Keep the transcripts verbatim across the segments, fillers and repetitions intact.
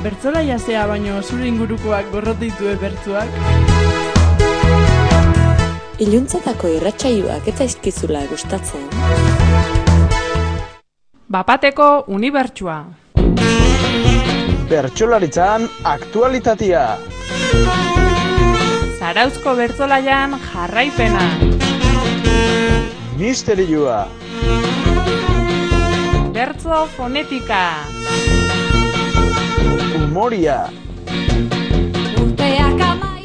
bertzola jasea baino zure ingurukoak gorrotitue bertzuak? Iluntzatako irratsaioak ez zaizkizula gustatzen? Bapateko unibertsua. Bertsolaritzan aktualitatea. Zarauzko bertsolaian jarraipena. Misterioa. Bertso fonetika. Humoria.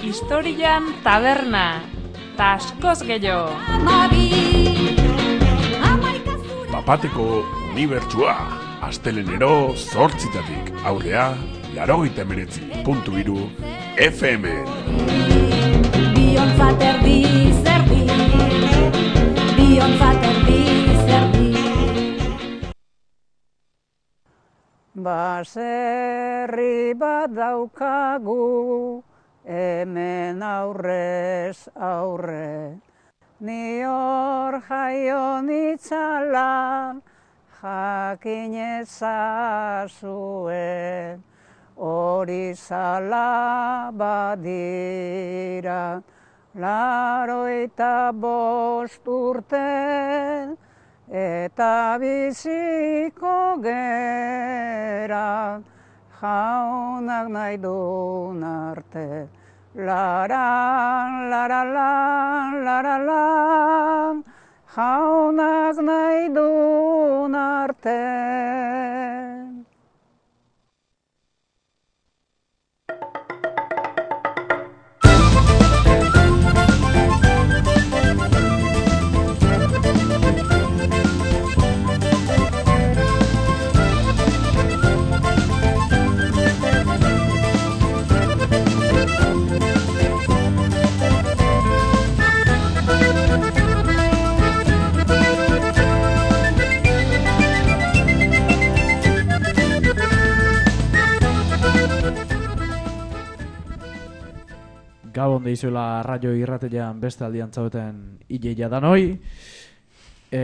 Historian taberna. Ta askoz gehiago. Bapateko unibertsua. Astelenero zortzitatik aurrea laurogeita hemeretzi puntu hiru F M. Biontzat erdi zerdi, biontzat erdi zerdi. Baserri bat daukagu, hemen aurrez aurre, ni hor jaio nitzalan, jakin ezazuen, hori zala badira, laroita bost urten, eta biziko gera, jaunak nahi dun arte. Laran, laralan, laralan, jaunak nahi dun arte. Gabon deizuela raio irratean beste aldian zauten ileia danoi. E,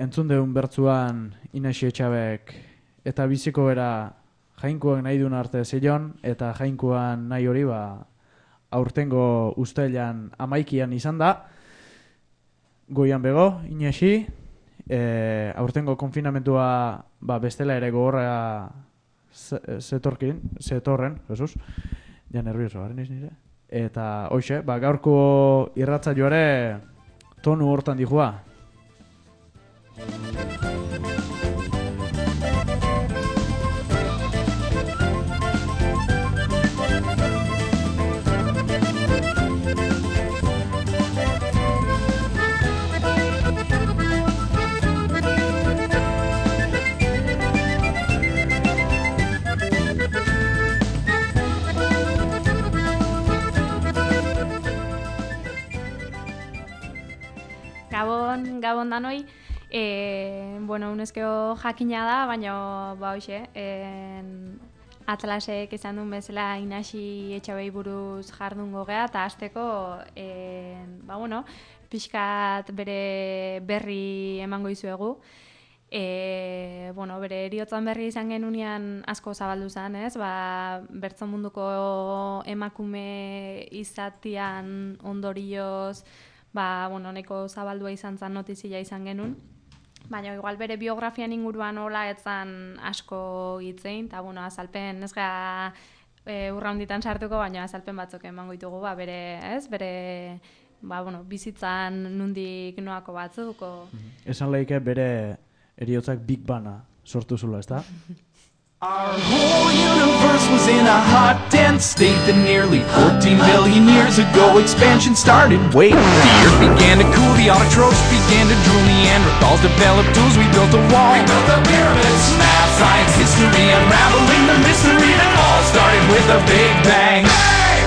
entzun deun bertzuan Inaxi Etxabek eta biziko era jainkuak nahi duen arte zeion, eta jainkuan nahi hori ba, aurtengo ustailan amaikian izan da. Goian bego, Inaxi, e, aurtengo konfinamentua ba, bestela ere gogorra zetorkin, zetorren, Jesus, ja nervioso, garen iz nire. Eta hoxe, ba, gaurko irratsaioare tonu hortan dihua. Gabon, gabon danoi, e, bueno, unezkeo jakina da, baina, ba, hoxe, en, Atlasek izan duen bezala Inaxi Etxabei buruz jardungo gea, eta hasteko, en, ba, bueno, pixkat bere berri emango izuegu. E, bueno, bere eriotzan berri izan genunean asko zabaldu zen, ez? Ba, bertso munduko emakume izatian ondorioz, ba, bueno, neko zabaldua izan zen notizia izan genuen. Baina, igual bere biografian inguruan hola etzan asko hitzein, eta, bueno, azalpen, ez gara e, urra honditan sartuko, baina azalpen batzuk emango ditugu, ba, bere, ez, bere, ba, bueno, bizitzan nundik noako batzuko. Esan lehike bere eriotzak Big Bana sortu zula, ez da? Our whole universe was in a hot, dense state that nearly fourteen billion years ago expansion started. Wait, the earth began to cool, the autotrophs began to drool, Neanderthals developed tools, we built a wall. We built the pyramids, math, science, history, unraveling the mystery that all started with a big bang. Hey!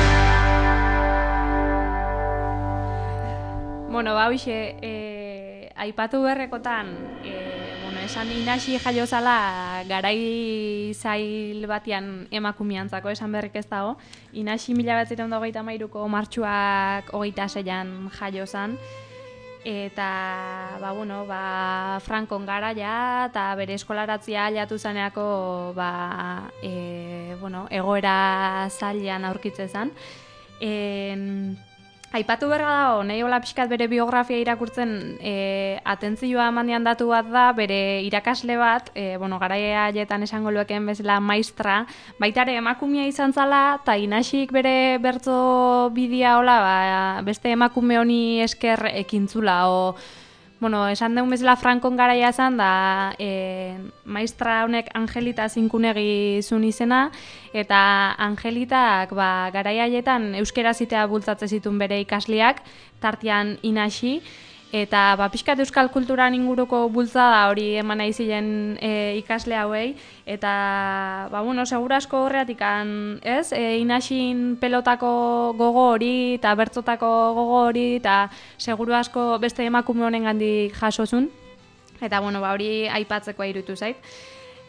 Bueno, ba, hoxe, eh, aipatu berrekotan, eh, bueno, esan Inaxi jaio zala garai zail batian emakumiantzako esan berrik ez dago. Inaxi mila bederatziehun eta hogeita hamairuko martxuak hogeita seian jaio zan. eta ba, bueno, ba, Frankon garaia eta bere eskolaratzia aliatu zaneako ba, e, bueno, egoera zailean aurkitze zen. En, aipatu berra dago, nahi hola pixkat bere biografia irakurtzen e, atentzioa mandian datu bat da, bere irakasle bat, e, bueno, garaia haietan esango lueken bezala maistra, baitare emakumea izan zala, eta inasik bere bertzo bidea hola, ba, beste emakume honi esker ekintzula, o, bueno, esan deun bezala Frankon garaia zen, da e, maistra honek Angelita zinkunegi zun izena, eta Angelitak ba, garaia haietan euskera zitea bultzatze zituen bere ikasleak, tartean inasi, eta ba, pixkat euskal kulturan inguruko bultzada hori eman nahi ziren e, ikasle hauei, eta ba, bueno, segurasko horreatik ez, e, inasin pelotako gogo hori, eta bertzotako gogo hori, eta seguru asko beste emakume honen gandik jasozun, eta bueno, ba, hori aipatzekoa irutu zait.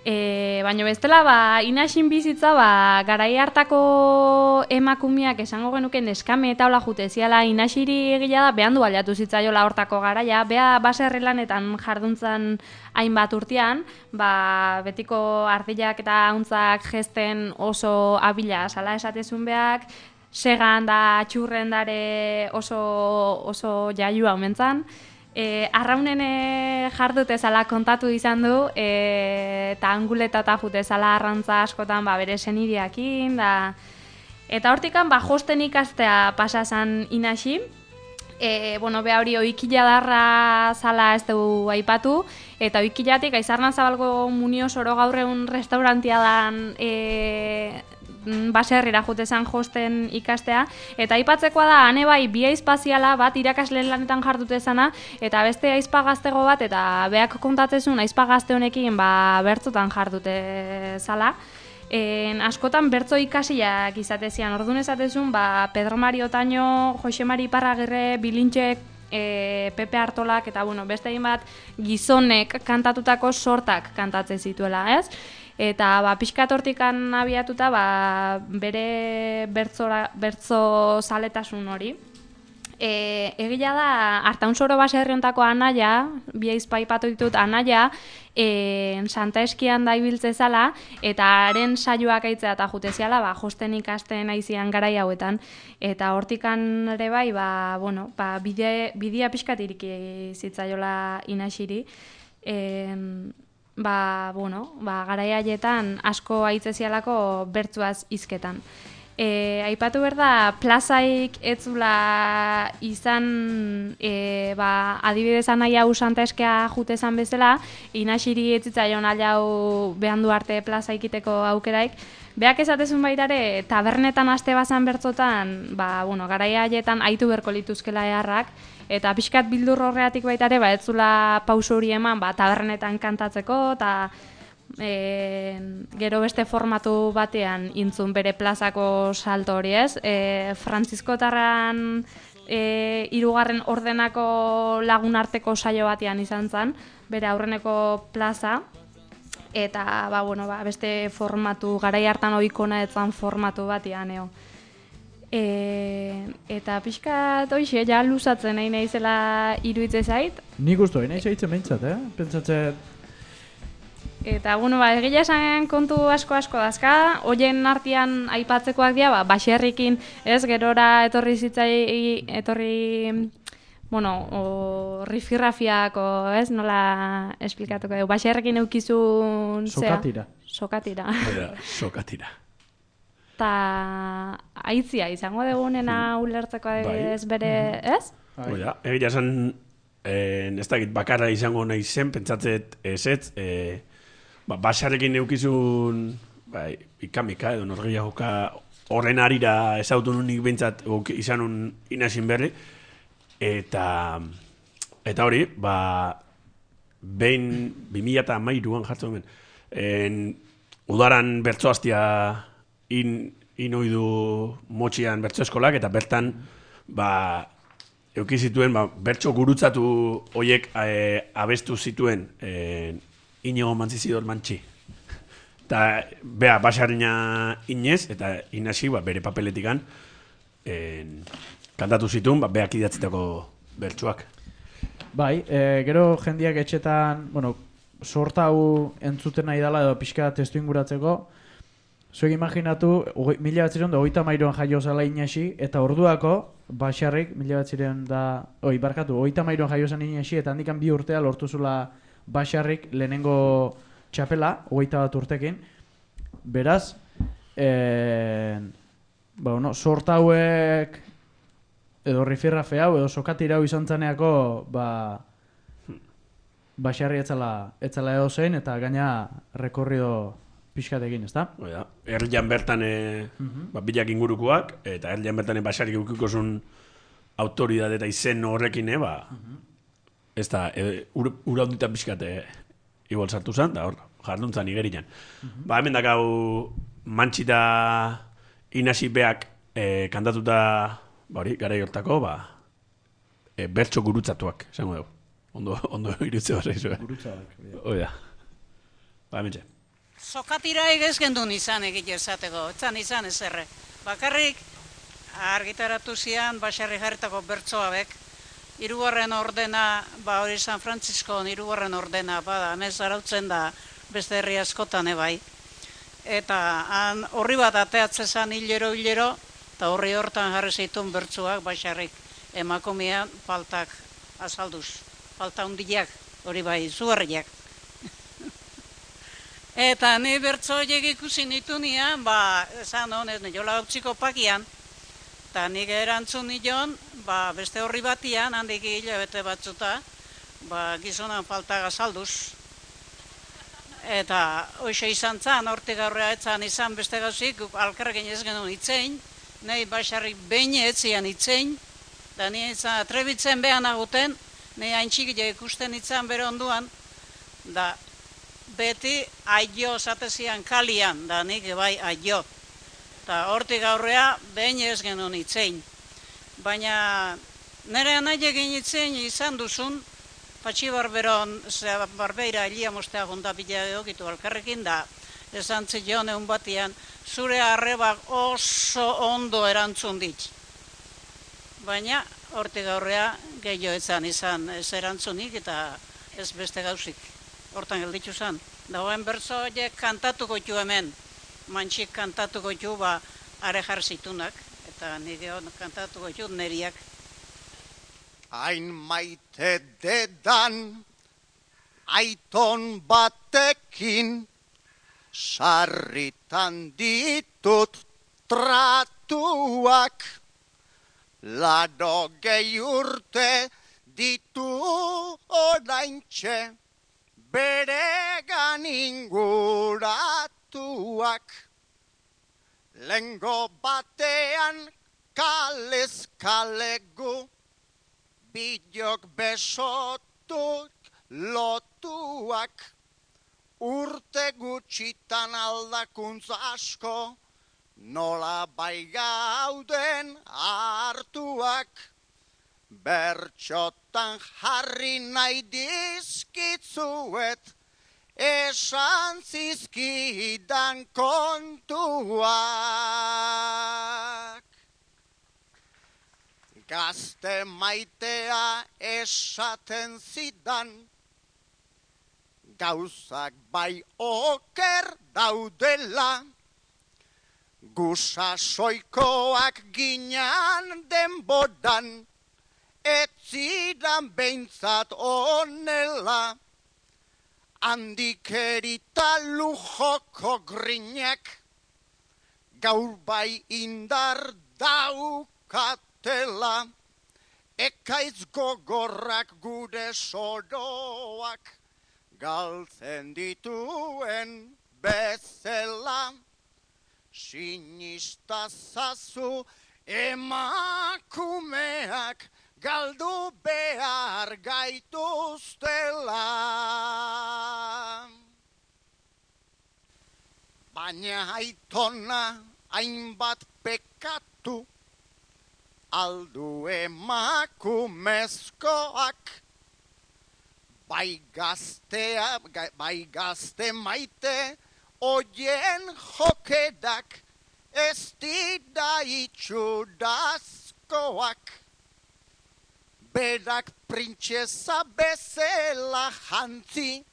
E, baina bestela, ba, inasin bizitza, ba, garai hartako emakumeak esango genuken eskame eta hola jute ziala inasiri egila da, behan du baliatu zitzaiola hortako garaia, beha baserri lanetan jarduntzan hainbat urtean, ba, betiko ardilak eta hauntzak gesten oso abila sala esatezun beak, segan da txurren dare oso, oso jaiua omentzan, E, arraunen e, jardute zala kontatu izan du, e, eta anguleta eta jute zala arrantza askotan ba, bere senideakin, da... eta hortikan ba, josten ikastea pasazan inasi, e, bueno, beha hori oikila darra zala ez dugu aipatu, eta oikilatik aizarnan zabalgo munio soro gaurreun restaurantia dan... E, baserrira jutezan josten ikastea, eta aipatzekoa da, hane bai, bi aizpaziala bat irakasle lanetan jardutezana, eta beste aizpa gaztego bat, eta beak kontatzezun aizpa gazte honekin ba, bertzotan jardute zala. En, askotan bertzo ikasiak izatezian, orduan esatezun, ba, Pedro Mari Otaño, Jose Mari Parragirre, Bilintxek, e, Pepe Artolak, eta bueno, beste egin bat gizonek kantatutako sortak kantatzen zituela, ez? Eta ba, pixkat hortikan abiatuta ba, bere bertzora, bertzo zaletasun hori. E, egila da, Artaunsoro baserri hontako anaia, bi aizpa aipatu ditut anaia, e, Santa Eskian da ibiltze zala, eta haren saioak aitzea eta juteziala, ba, josten ikasten aizian garai hauetan. Eta hortikan ere bai, ba, bueno, ba, bide, bidea pixkat iriki zitzaiola inasiri. E, ba, bueno, ba, garai haietan asko aitzezialako bertzuaz hizketan. E, aipatu behar da, plazaik etzula izan, e, ba, adibidez anai hau Santa Eskea jutezan bezala, inasiri etzitzaion alau behan du arte plaza ikiteko aukeraik, beak esatezun baitare, tabernetan aste bazan bertzotan, ba, bueno, garai haietan aitu berko lituzkela eharrak, eta pixkat bildur horreatik baitare, ba, etzula pauso hori eman, ba, tabernetan kantatzeko, eta e, gero beste formatu batean intzun bere plazako salto hori ez. E, Frantziskotarran e, hirugarren ordenako lagun arteko saio batean izan zen, bere aurreneko plaza, eta ba, bueno, ba, beste formatu, garai hartan ohikona etzan formatu batean, eo. E, eta pixkat hoxe, ja luzatzen nahi nahizela iruitze zait. Nik usto, nahi zaitzen behintzat, eh? Pentsatzen... Eta, bueno, ba, egia esan kontu asko-asko dazka, hoien artean aipatzekoak dira, ba, baserrikin, ez, gerora etorri zitzai, etorri, bueno, o, rifirrafiako, ez, nola esplikatuko dugu, baserrikin eukizun... Sokatira. Sokatira. Sokatira. Eta aitzia izango dugunena ulertzeko ez bere, ez? Oia, egia esan, ez dakit bakarra izango nahi zen, pentsatzet ez ez, e, ba, basarekin eukizun, bai, ikamika edo norgehiagoka horren arira ezautu nunik bintzat izanun inasin berri, eta, eta hori, ba, behin bi mila eta hamairuan jartzen ben, en, udaran bertzoaztia in, inoidu motxian bertso eskolak, eta bertan, ba, eukizituen, ba, bertso gurutzatu hoiek e, abestu zituen e, Inigo Mantzizidor Mantxi. Eta, bea, basarina inez, eta inasi, ba, bere papeletikan, e, kantatu zituen, ba, beak idatzitako bertsuak. Bai, e, gero jendiak etxetan, bueno, sorta hau entzuten nahi dela edo pixka testu inguratzeko, zuek imaginatu, mila batzireun da hogeita mairuan jaio zala Inaxi, eta orduako, Baxarrik, mila batzireun da, oi, barkatu, hogeita mairuan jaio zan Inaxi, eta handikan bi urtea lortu zula Baxarrik lehenengo txapela, hogeita bat urtekin. Beraz, e, ba, bueno, sorta hauek, edo rifirrafe hau, edo sokatira hau izan zaneako, ba, Baxarri etzala, etzala edo zein, eta gaina rekorrido pixkatekin, ezta? Oida, erdian bertan e, uh-huh. ba, bilak ingurukoak, eta erdian bertan Baxarrik eukiko zuen autoridade eta izen horrekin, ba, uh-huh. ez da, e, ur, ura honditan pixkate igual sartu zen, da hor, jarduntzan igerinan. Uh-huh. Ba, hemen dakau Mantxita Inaxi beak e, kantatuta, ba hori, gara hortako, ba, e, bertso gurutzatuak, esango dugu. Ondo, ondo irutze bat zaizu, eh? Gurutzatuak. Oida. Ba, hemen txe. Sokatira egez gendun izan egite esateko, etzan izan ezerre. Bakarrik, argitaratu zian, Baxarri jarritako bertsoabek, hirugarren ordena, ba hori San Frantziskon hirugarren ordena, bada, nez arautzen da beste herri askotan ebai. Eta han horri bat ateatzezan hilero hilero, eta horri hortan jarri zeitun bertsuak Baxarrik emakumean faltak azalduz. Falta hundiak, hori bai, zuharriak. Eta ni bertso horiek ikusi nitu nian, ba, esan honez, niola utziko pakian, eta nik erantzun nion, ba, beste horri batian, handik hilabete batzuta, ba, gizonan falta azalduz. Eta hoxe izan zan, hortik aurrea etzan izan beste gauzik, alkarrekin ez genuen itzein, nahi Baxarrik behin etzian itzein, da ni izan atrebitzen behan aguten, nahi haintxikile ikusten itzan bere onduan, da beti aio zatezian kalian, da nik bai aio. Eta hortik aurrea behin ez genuen itzein. Baina nire nahi egin itzein izan duzun, patxi barberon, zera barbeira elia mostea gondapila egokitu alkarrekin, da esan zion egun batian, zure arrebak oso ondo erantzun dit. Baina hortik aurrea gehioetzan izan ez erantzunik eta ez beste gauzik. Hortan gelditu zen. Dagoen bertso horiek kantatuko ju hemen. Mantxik kantatuko ju ba are jarzitunak. Eta nire kantatuko ju neriak. Hain maite dedan aiton batekin sarritan ditut tratuak. Lado gehi urte ditu oraintxe beregan inguratuak. Lengo batean kalez kalegu bilok besotuk lotuak. Urte gutxitan aldakuntza asko nola bai gauden hartuak. Bertxotan jarri nahi dizkitzuet esan zizkidan kontuak. Gazte maitea esaten zidan, gauzak bai oker daudela, gusasoikoak ginan denboran, ez zidan behintzat onela, handikerita lujoko grinek, gaur bai indar daukatela, ekaitz gogorrak gure soroak, galtzen dituen bezala. Sinistazazu emakumeak galdu behar gaituztela. Baina aitona hainbat pekatu aldu emakumezkoak. Bai gaztea, bai gazte maite, oien jokedak ez dira itxurazkoak. berak printzesa bezala jantzi,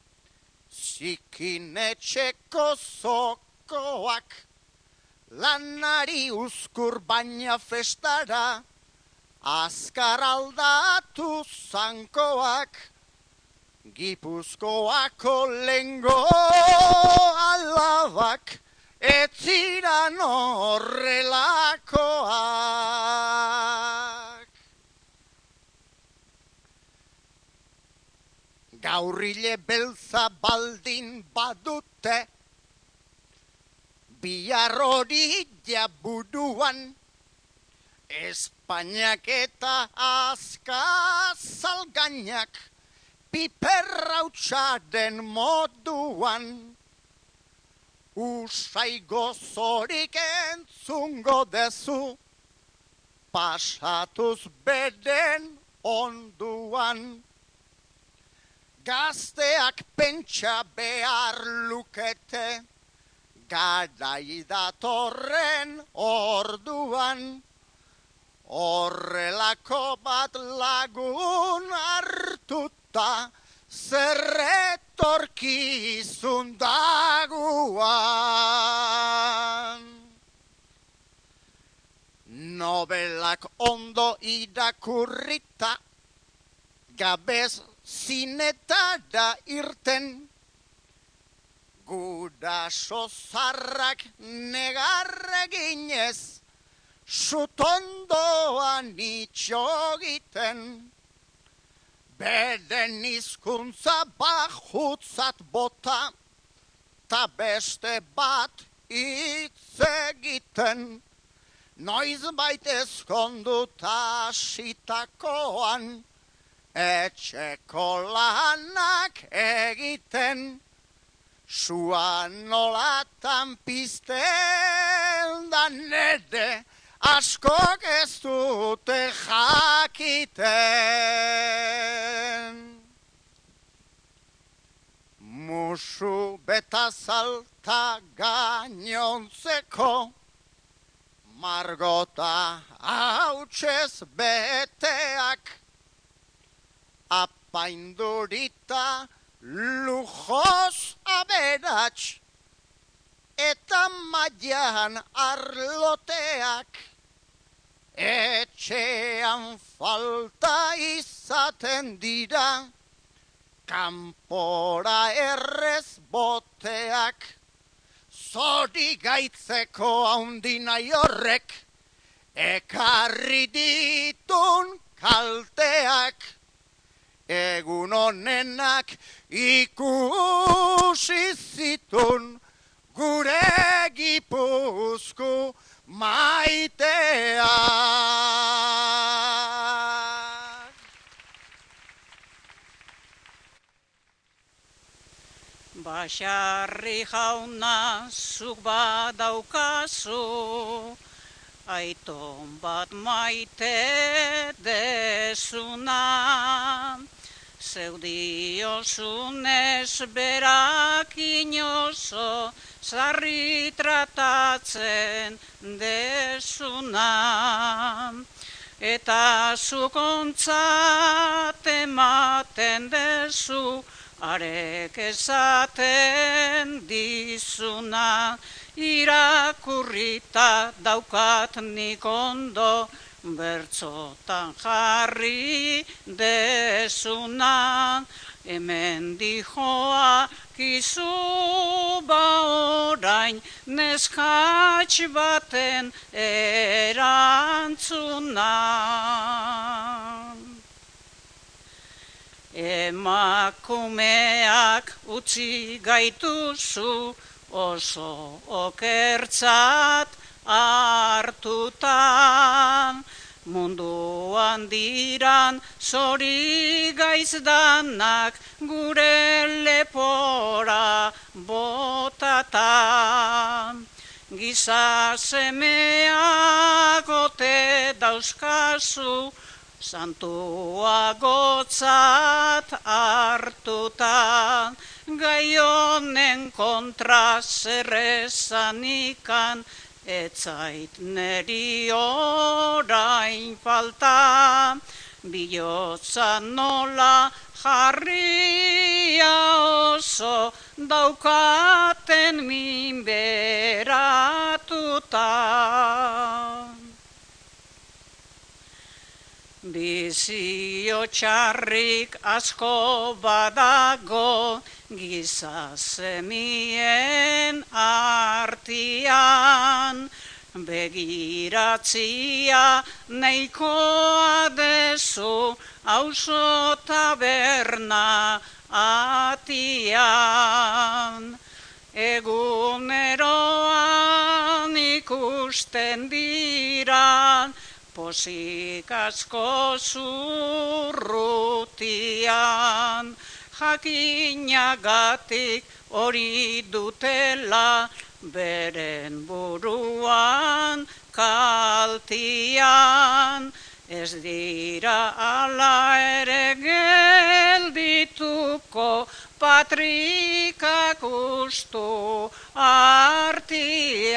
zikinetxeko zokoak, lanari uzkur baina festara, azkar aldatu zankoak, Gipuzkoako lengo alabak, ez ziran horrelakoak. Gaurrile beltza baldin badute, bihar hori jaburuan, Espainiak eta azkazalgainak, piperrautxaren moduan, usai gozorik entzungo dezu, pasatuz beren onduan. Gazteak pentsa behar lukete, garai datorren orduan, horrelako bat lagun hartuta, zerretorkizun daguan. Nobelak ondo irakurrita, gabez zinetara irten, guraso zarrak negarreginez, sutondoan itxogiten, beren hizkuntza bajutzat bota, ta beste bat hitz egiten, noizbait ezkonduta hasitakoan, etxeko lanak egiten, sua nolatan pizten da nere, askok ez dute jakiten. Musu beta zalta gainontzeko, margota hautsez beteak, apaindurita lujos aberats, eta mailan arloteak, etxean falta izaten dira, kanpora errez boteak, zori gaitzeko haundinai horrek, ekarri ditun kalteak, egun honenak ikusi zitun, gure Gipuzku maiteak. Basarri jauna zuk badaukazu, aiton bat maite dezuna, zeudiosunez berak inozo, zarri tratatzen dezuna, eta zukontzat ematen dezu, arek esaten dizuna, irakurrita daukat nik ondo, bertzotan jarri dezuna, hemen dijoa kizu ba orain, neskatx baten erantzuna. Emakumeak utzi gaituzu, oso okertzat hartutan, munduan diran zori gaizdanak gure lepora botatan. Giza semeak ote dauzkazu, santua gotzat hartutan, gai honen kontra zerrezanikan, etzait neri orain falta, bihotza nola jarria oso daukaten minberatuta. Bizio txarrik asko badago giza zemien artian, begiratzia neikoa dezu auzo taberna atian. Eguneroan ikusten dira posik asko zurrutian, jakinagatik hori dutela beren buruan kaltian. Ez dira ala ere geldituko patrikak ustu artian.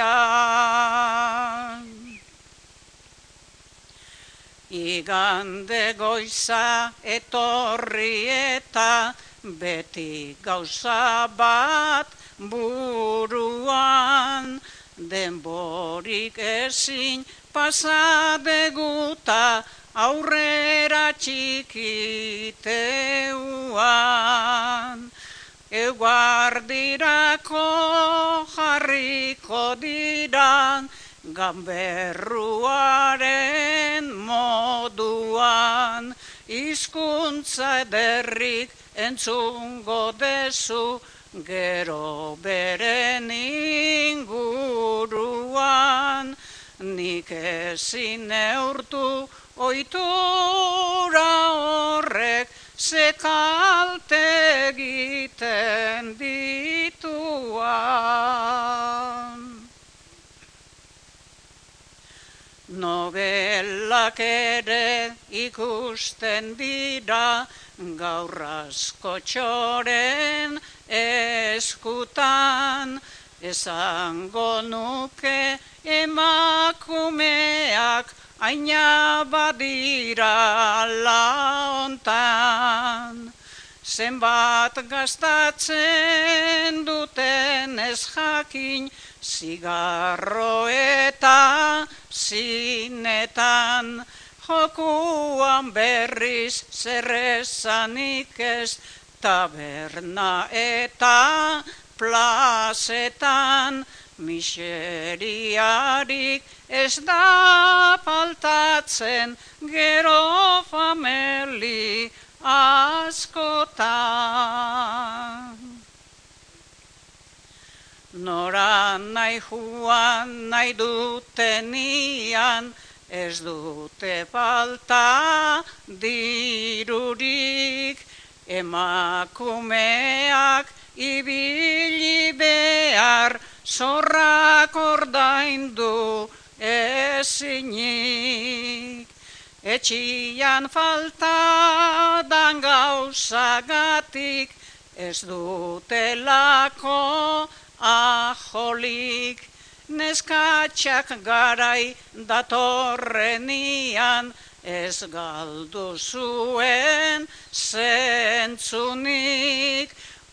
Igande goiza etorri eta beti gauza bat buruan, denborik ezin pasadeguta aurrera txikiteuan. Eguardirako jarriko dira gamberruaren moduan, hizkuntza ederrik entzungo dezu gero beren inguruan. Nik ezin neurtu ohitura horrek ze kalte egiten dituan. Nobelak ere ikusten dira gaur askotxoren eskutan, esango nuke emakumeak aina badira laontan. Zenbat gastatzen duten ez jakin, zigarro eta zinetan, jokuan berriz zerrezanik ez, taberna eta plazetan, miseriarik ez da faltatzen gero fameli askotan. Nora nahi juan nahi dutenian, ez dute falta dirurik, emakumeak ibili behar zorrak ordaindu ezinik. Etxian falta dan gauzagatik, ez dutelako ajolik. Neskatxak garai datorrenian, ez galdu zuen zentzunik.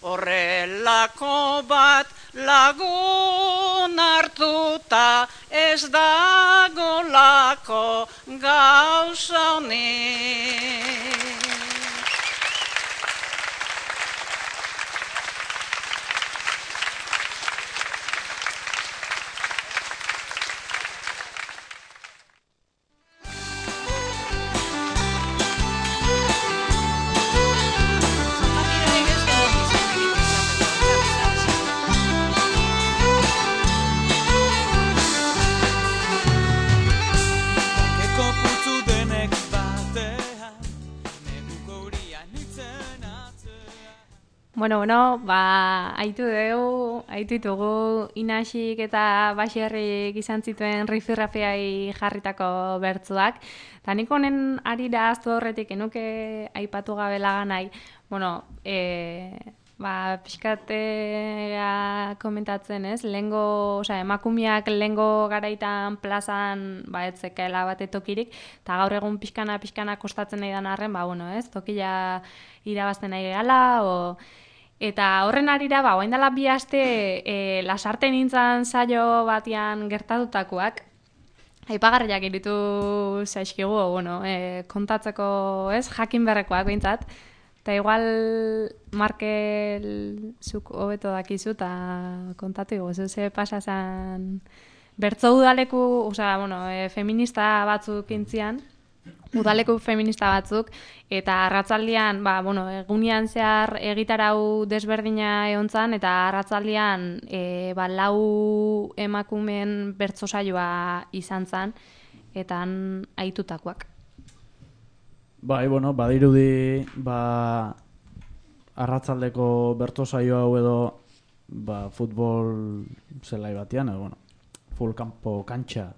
Horrelako bat lagun hartuta, ez dagolako gauza honik. Bueno, bueno, ba, aitu dugu, aitu ditugu Inaxik eta Baxerrik izan zituen rifirrafiai jarritako bertzuak. Eta nik honen arira aztu horretik enuke aipatu gabe laganai, bueno, e, ba, pixkatea komentatzen, ez? Lengo, osea, emakumeak lengo garaitan plazan, ba, etzekela bate tokirik, eta gaur egun pixkana, pixkana kostatzen nahi dan arren, ba, bueno, ez? Tokila irabazten nahi gehala, o... Eta horren arira, ba, oain dela bi aste e, lasarte nintzen saio batian gertatutakoak, aipagarriak iritu zaizkigu, bueno, e, kontatzeko, ez, jakin berrekoak behintzat, eta igual Markel zuk hobeto dakizu, eta kontatu igo, ze pasa zen bertzo udaleku, osea, bueno, e, feminista batzuk intzian, udaleku feminista batzuk, eta arratzaldian, ba, bueno, egunian zehar egitarau desberdina egontzan, eta arratzaldian e, ba, lau emakumeen bertso saioa izan zan, eta han aitutakoak. Bai, bueno, badirudi, ba, arratzaldeko bertso saio hau edo, ba, futbol zelai batean, edo, bueno, full campo kantxa,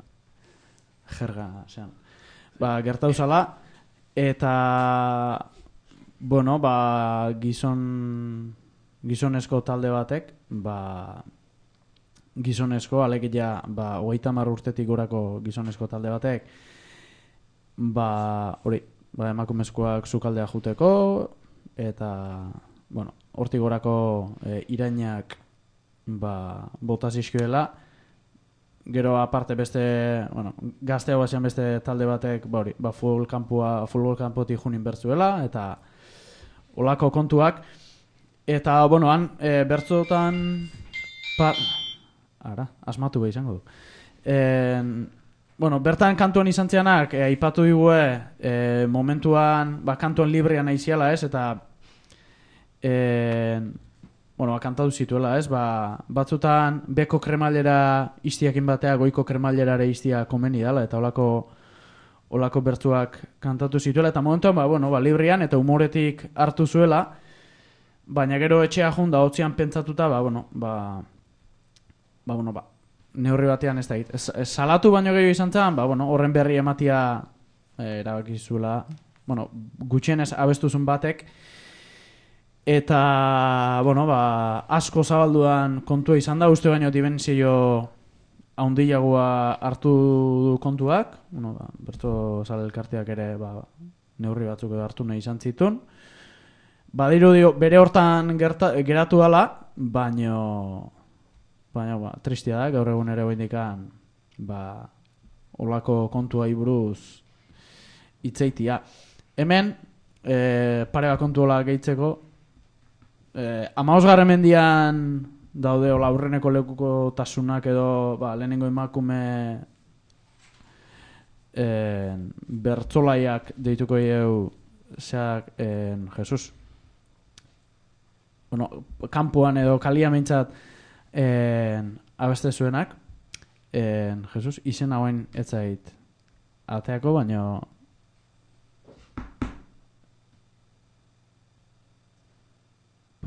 jerga, zean. Ba, gertau zala, eta, bueno, ba, gizon, gizonezko talde batek, ba, gizonezko, alegia, ba, hogeita hamar urtetik gorako gizonezko talde batek, ba, hori, ba, emakumezkoak sukaldea juteko, eta, bueno, hortik gorako e, irainak, ba, bota zizkioela. Gero aparte beste, bueno, gazte hau esan beste talde batek, ba hori, ba full kampua, futbol kanpotik junin bertzuela, eta olako kontuak. Eta, bueno, han, e, bertzotan, pa... Ara, asmatu behi izango du. E, bueno, bertan kantuan izan zianak, e, aipatu digue, e, momentuan, ba, kantuan librean aiziala, ez, eta, e, bueno, ba, kantatu zituela, ez, ba, batzutan beko kremailera iztiakin batea goiko kremailerare iztia komeni dela, eta olako, olako bertzuak kantatu zituela, eta momentuan, ba, bueno, ba, librian eta humoretik hartu zuela, baina gero etxea junda hotzian pentsatuta, ba, bueno, ba, ba, bueno, ba, neurri batean ez da hit. Salatu baino gehiago izan zen, ba, bueno, horren berri ematia e, erabaki zuela, bueno, gutxienez abestuzun batek, eta, bueno, ba, asko zabalduan kontua izan da, uste baino dimensio haundiagoa hartu du kontuak, bueno, ba, berto zale elkarteak ere, ba, neurri batzuk edo hartu nahi izan zitun. Badiru dio, bere hortan gerta, geratu dala, baino, baina, ba, tristia da, gaur egun ere oindikan, ba, olako kontua buruz hitzeitia. Hemen, e, pare bat kontu hola gehitzeko, Eh, Amaosgarren mendian daude ola aurreneko lekuko tasunak edo ba, lehenengo emakume eh, bertzolaiak deituko ieu zeak eh, Jesus. Bueno, kampuan edo kalia mintzat eh, abeste zuenak eh, Jesus, izen hauen etzait ateako, baino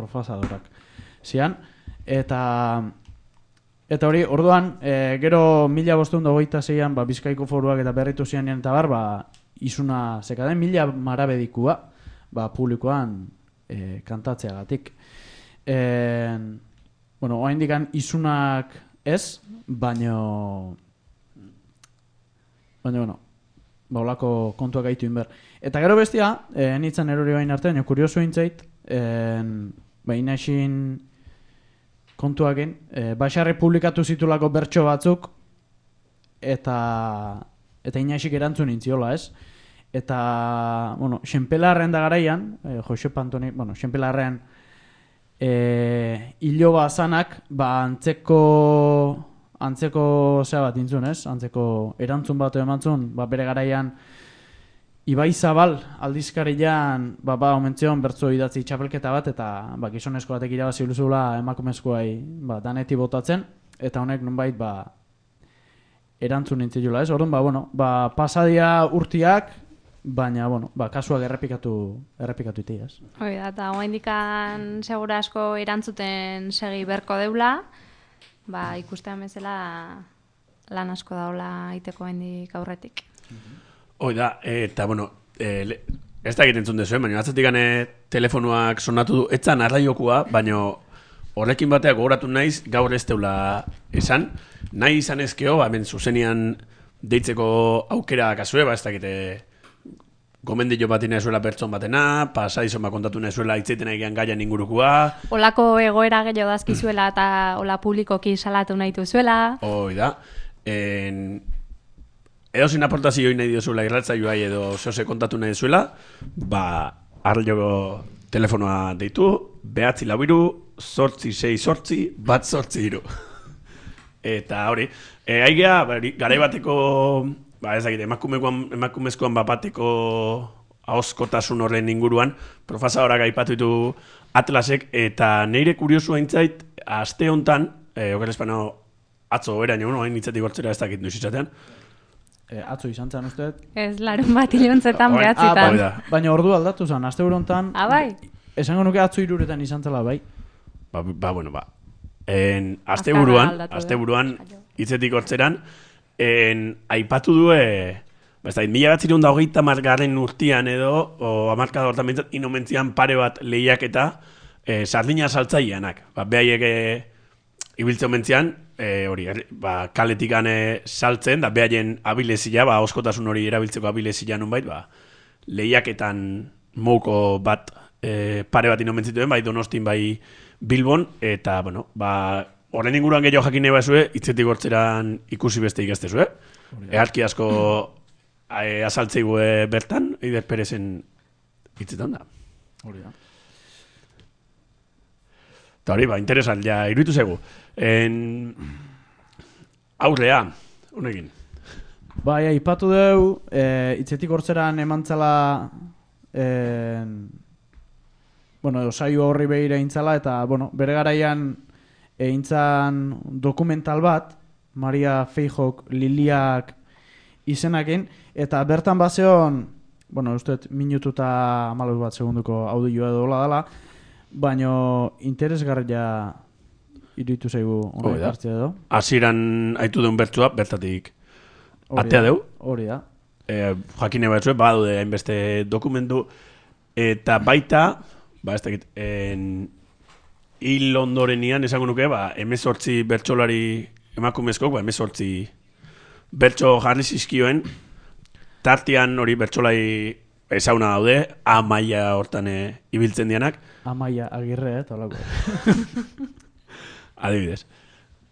profasadorak zian, eta eta hori, orduan, e, gero mila bostehun da hogeita zeian, ba, Bizkaiko foruak eta berritu zian eta bar, ba, izuna zekaden mila marabedikua, ba, publikoan e, kantatzeagatik. E, bueno, oa indikan izunak ez, baino baino, bueno, ba, olako kontuak gaitu inber. Eta gero bestia, e, nitzen erori bain arte, nio kurioso intzait, en, ba, inaxin kontuakin, e, Baxarri publikatu zitulako bertso batzuk, eta eta inaxik erantzun intziola, ez? Eta, bueno, Xenpelarren da garaian, e, Josep Antoni, bueno, Xenpelarren e, iloba zanak, ba, antzeko antzeko zea bat intzun, ez? Antzeko erantzun bat emantzun, ba, bere garaian Ibai Zabal aldizkarian ba, ba, omentzion bertzo idatzi txapelketa bat, eta ba, gizonezko batek irabazi luzula emakumezkoai ba, daneti botatzen, eta honek nonbait ba, erantzun nintzilula, ez? Orduan, ba, bueno, ba, pasadia urtiak, baina, bueno, ba, kasuak errepikatu, errepikatu iti, ez? Hoi da, eta oaindikan segura asko erantzuten segi berko deula, ba, ikustean bezala lan asko daula iteko oaindik aurretik. Hoi da, eta, bueno, e, le, ez da egiten zuen dezuen, baina atzatik gane telefonoak sonatu du, etzan arraiokua, baina horrekin bateak gogoratu naiz, gaur ez teula esan, nahi izan ezkeo, ba, hemen zuzenian deitzeko aukera kasue, ba, ez dakite gomendio bat inezuela pertson batena, pasaizon bat kontatu inezuela itzeiten egian gaian ingurukua. Olako egoera gehiago dazkizuela eta ola publikoki salatu nahi duzuela. Hoi da. En... Edo zin aportazio nahi diozuela irratzaioa edo zehose kontatu nahi duzuela, ba, arraioko telefonoa deitu, behatzi labiru, sortzi, sei, sortzi, bat sortzi iru. Eta hori, e, aigea, garai bateko, ba ez dakit, emakumezkoan bapateko ahoskotasun horren inguruan, profesorak aipatu ditu Atlasek, eta neire kuriosu haintzait, aste hontan, e, oker espano, atzo eraino, no, hain nitzetik gortzera ez dakit nuiz izatean. E, atzo izan zen uste? Ez, larun bat iluntzetan behatzitan. Ah, baina ordu aldatu zen, aste horontan, ah, bai? Esango nuke atzo iruretan izan zela, bai? Ba, ba bueno, ba. En, aste buruan, aste buruan, hitzetik hortzeran, en, aipatu du, e, ba, ez da, mila bat zirun da hogeita margarren urtian edo, o amarkada hortan bintzat, inomentzian pare bat lehiak eta e, sardina saltzaileanak. Ba, behaiek e, ibiltzen mentzian, e, hori, ba, kaletikan e, saltzen, da behaien abilezia, ba, oskotasun hori erabiltzeko abilezia nunbait, ba, lehiaketan mouko bat e, pare bat inomentzituen, bai Donostin, bai Bilbon, eta, bueno, ba, horren inguruan gehiago jakin nahi bazue, hitzetik hortzeran ikusi beste ikastezue. Eharki asko e, azaltzeigu bertan, Eider Perezen hitzetan da. Hori da. Eta hori, ba, interesal, ja, iruditu zegu. En... Aurrea, honekin. Bai, aipatu deu, e, hitzetik hortzeran emantzala, e, bueno, saio horri behira intzala, eta, bueno, bere garaian eintzan dokumental bat, Maria Feijok Liliak izenakin, eta bertan bazeon, bueno, usteet minutu eta hamalau bat segunduko audioa edo hola dela, baina interesgarria iruditu zaigu hori hartzea edo. Hasieran aitu duen bertzua, bertatik atea deu. Hori da. E, jakine batzue, badude hainbeste dokumentu, eta baita, ba ez dakit, en... hil ondorenian, esango nuke, ba, emezortzi bertsolari emakumezkok, ba, emezortzi bertso jarri zizkioen, tartian hori bertsolai ezauna daude, Amaia hortan e, ibiltzen dianak. Amaia Agirre, eh, talako. Adibidez.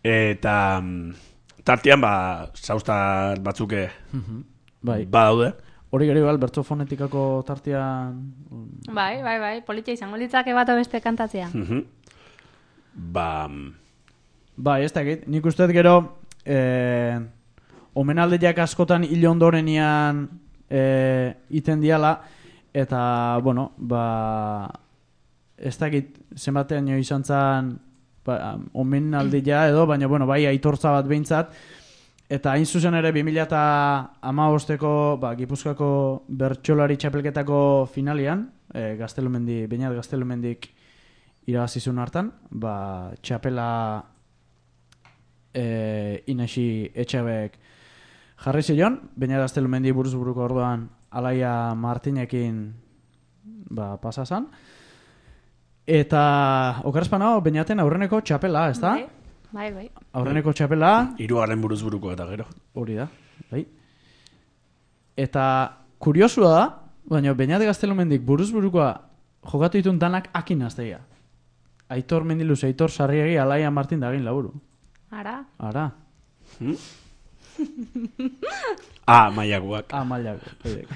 Eta tartian, ba, zauztar batzuke bai. ba daude. Hori gero igual, bertso fonetikako tartian... Bai, bai, bai, politia izango litzake bat beste kantatzea. Ba... Ba, ez dakit, nik usteet gero eh, omenaldiak askotan hil ondorenian eh, iten diala, eta, bueno, ba, ez dakit zenbatean jo izan zan ba, omenaldia edo, baina, bueno, bai, aitortza bat behintzat, eta hain zuzen ere bi mila hamabosteko ba, Gipuzkoako bertsolari txapelketako finalian, eh, Gaztelumendi, Beñat Gaztelumendik irabazizun hartan, ba, txapela e, Inesi Etxabek jarri zion, Beñat Gaztelumendi buruz buruko orduan Alaia Martinekin ba, pasazan. Eta okerrezpana, Beñaten aurreneko txapela, ez da? Bai, bai. Aurreneko txapela. Hirugarren buruz buruko eta gero. Hori da, bai. Eta kuriosua da, baina Beñat Gaztelumendik buruz burukoa jokatu ditun danak akin azteia. Aitor Mendiluz, Aitor Sarriegi, Alaia Martin dagin laburu. Ara? Ara. Hmm? Ah, maiakuak. Ah, maiakuak.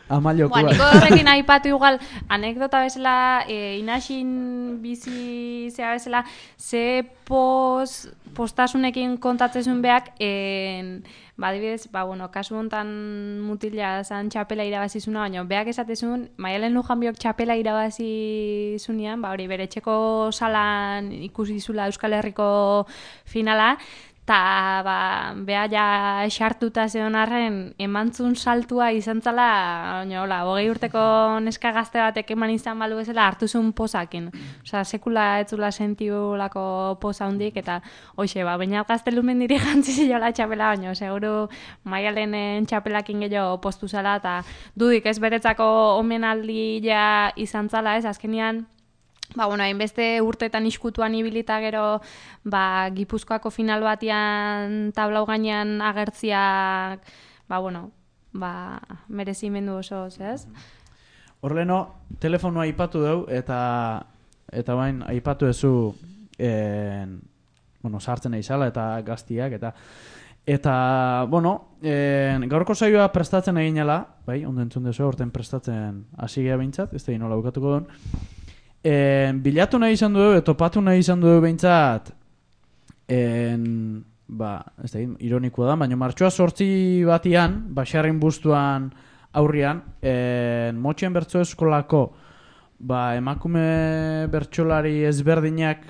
Amaliokuak. Bueno, niko horrekin aipatu igual, anekdota bezala, e, Inaxin bizi zea bezala, ze pos, postasunekin kontatzezun beak, en, ba, dibidez, ba, bueno, kasu hontan mutila zan txapela irabazizuna, baina beak esatezun, Maialen Lujanbiok txapela irabazizunean, ba, hori, bere txeko salan ikusi zula Euskal Herriko finala, Ta, ba, beha ja esartuta zeon arren, emantzun saltua izan zala, hola, hogei urteko neska gazte batek eman izan balu bezala hartu zuen posakin. Osa, sekula etzula sentiulako posa hundik, eta hoxe, ba, baina gaztelumen diri jantzi zilola txapela, baina, seguru Maialenen txapelakin gehiago postu zala, eta dudik ez beretzako omenaldi ja izan zala, ez, azkenian, ba, bueno, hainbeste urtetan iskutuan ibilita gero, ba, Gipuzkoako final batian tablau gainean agertziak, ba, bueno, ba, merezimendu oso, ez? Horleno, telefonoa aipatu dugu, eta eta bain, aipatu ezu, en, bueno, sartzen eizala, eta gaztiak, eta eta, bueno, en, gaurko saioa prestatzen eginela, bai, ondo entzun dezu, horten prestatzen hasi gea behintzat, ez da inola bukatuko duen, en, bilatu nahi izan du, etopatu nahi izan du behintzat, en, ba, ez da, ironikoa da, baina martxoa sortzi batian, Baxarrin bustuan aurrian, en, Motxen bertso eskolako, ba, emakume bertsolari ezberdinak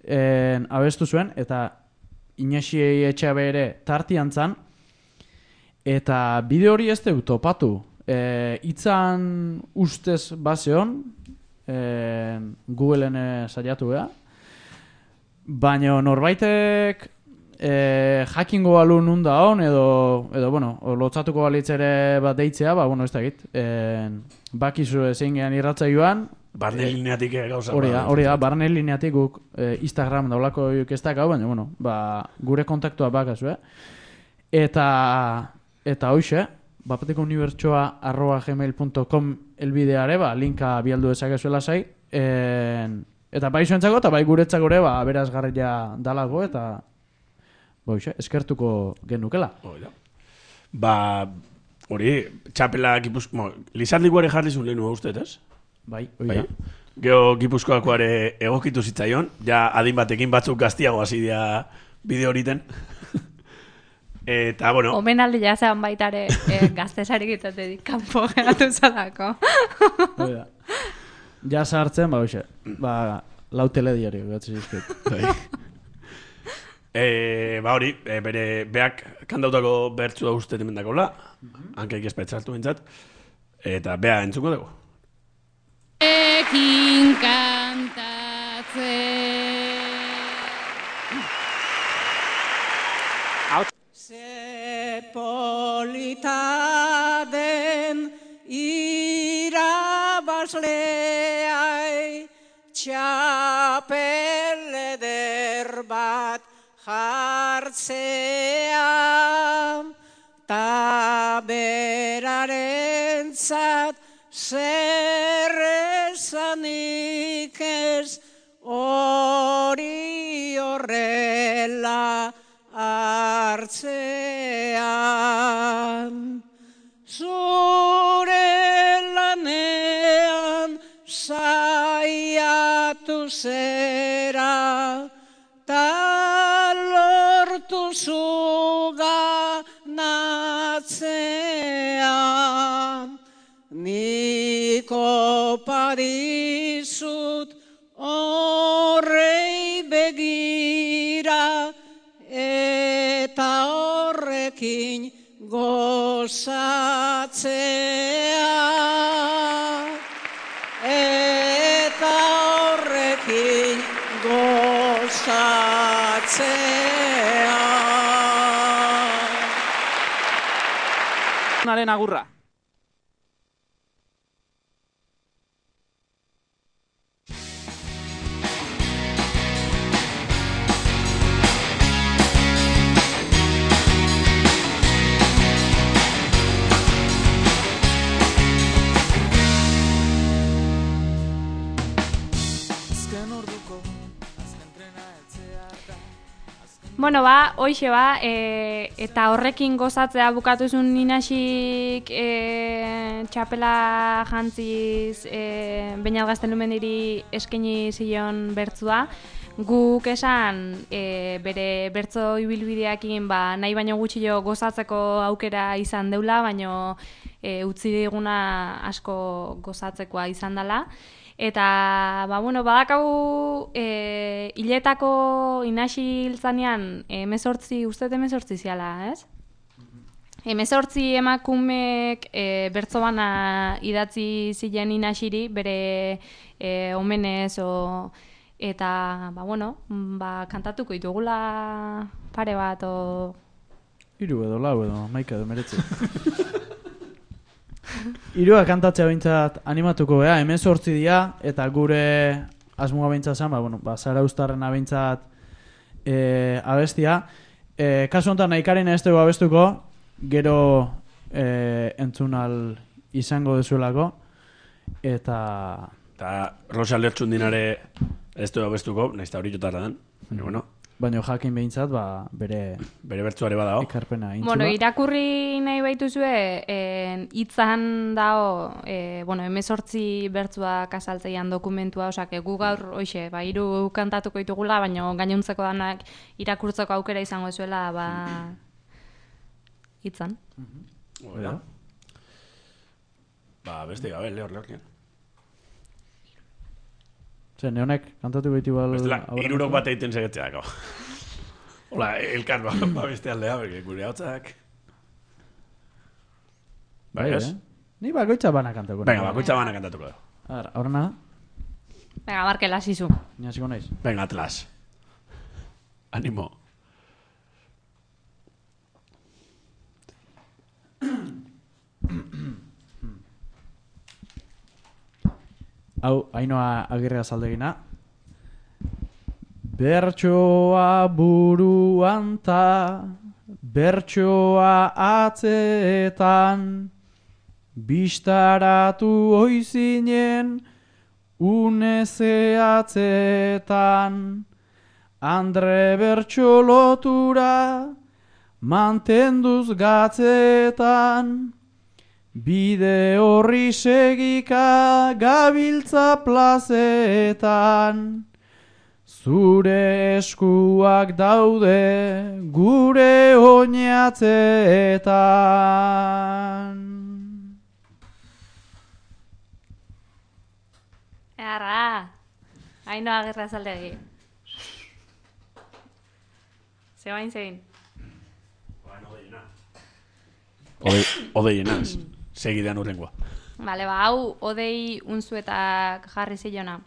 en, abestu zuen, eta Inaxi Etxabe ere tartian zan, eta bideo hori ez dut topatu. E, itzan ustez bazeon, e, Googleen saiatu beha, baina norbaitek e, jakingo balu nunda hon, edo, edo bueno, lotzatuko balitz ere bat deitzea, ba, bueno, ez da egit, e, bakizu ezin gehan irratzaioan, barne lineatik gauza. Hori da, hori da, barne lineatik guk eh, Instagram daulako ez dakau, baina, bueno, ba, gure kontaktua bakazu, eh? Eta, eta hoxe, bapateko unibertsoa arroba gmail punto com elbideare, ba, linka bialdu dezakezuela zai, en, eta bai zuentzako, eta bai guretzako ere, ba, berazgarria dalago, eta, ba, hoxe, eskertuko genukela. Hori da. Ba, hori, txapela Gipuzko, Lizardik ere jarri zuen lehenu uste, ez? Bai, hori da. Geo Gipuzkoakoare egokitu zitzaion, ja adin batekin batzuk gaztiago hasi dira bideo horiten. Eta, bueno... Omenaldi jazean baitare eh, gaztesarik itatetik kanpo geratu zalako. Hori da. Ja sartzen, ba, hoxe, ba, lau telediario, gatzi zizkut. e, ba, hori, e, bere, beak kandautako bertzua uste temendakola, hankaik espetzartu bintzat, eta bea entzuko dugu. Ekin kantatzen. Ze polita den irabazleai, txapel eder bat jartzea, ta berarentzat zer esanik ez hori horrela hartzean. Zure lanean saiatu zera, ta lortu zuganatzean. Niko padizut horrei begira, eta horrekin gozatzea. Eta horrekin gozatzea. Naren agurra. Bueno, ba, hoxe ba, e, eta horrekin gozatzea bukatuzun Inaxik e, txapela jantziz e, Beñat Gaztelumendiri eskaini zion bertzua. Guk esan e, bere bertzo ibilbideakin ba, nahi baino gutxio gozatzeko aukera izan deula, baino e, utzi diguna asko gozatzekoa izan dela. Eta, ba, bueno, badakau e, hiletako inasi hiltzanean emezortzi, uste emezortzi ziala, ez? Emezortzi emakumek e, bertso bana idatzi ziren inasiri, bere e, omenez, o, eta, ba, bueno, ba, kantatuko ditugula pare bat, o... Hiru edo lau edo, maika edo meretzi. Hirua kantatzea behintzat animatuko gea, hemen sortzi dira, eta gure asmoa behintzat zen, ba, bueno, ba, Zara Uztarrena behintzat e, abestia. E, kasu honetan nahikaren ez dugu abestuko, gero e, entzunal izango dezuelako, eta... Eta Rosa Lertxundinare ez dugu abestuko, nahiz eta hori jotarra den, baina, bueno... Baina jakin behintzat, ba, bere... Bere bertzuare badao. Ekarpena intzula. Bueno, irakurri nahi baituzue, hitzan dao, e, bueno, emezortzi bertzuak azaltzeian dokumentua, osak, gu gaur, hoxe, ba, hiru kantatuko ditugula, baina gainontzeko danak irakurtzeko aukera izango zuela, ba, hitzan. Oida. Ba, beste gabe, lehor, lehor, lehor. Zer, neonek kantatu behitu bal... Bestela, irurok bat egiten segetzeako. Hola, elkar ba, ba beste aldea, berke gure hautzak. Ba, ez? Ni bakoitza bana kantatuko. Venga, bakoitza bana kantatuko. Ara, horrena. Venga, Markel, hasizu. Ni hasiko naiz. Venga, Atlas. Animo. Hau, Ainoa Agirrea zaldegina. Bertsoa buruan ta, bertsoa atzeetan, bistaratu oizinen, une zehatzeetan, andre bertso lotura, mantenduz gatzeetan, bide horri segika gabiltza plazeetan, zure eskuak daude gure oinatzeetan. Arra, Ainoa Agirrea zaldegi. Zebain zein. Ode, odeienaz, segidean urrengoa. Bale, ba, hau, odei unzuetak jarri zilona.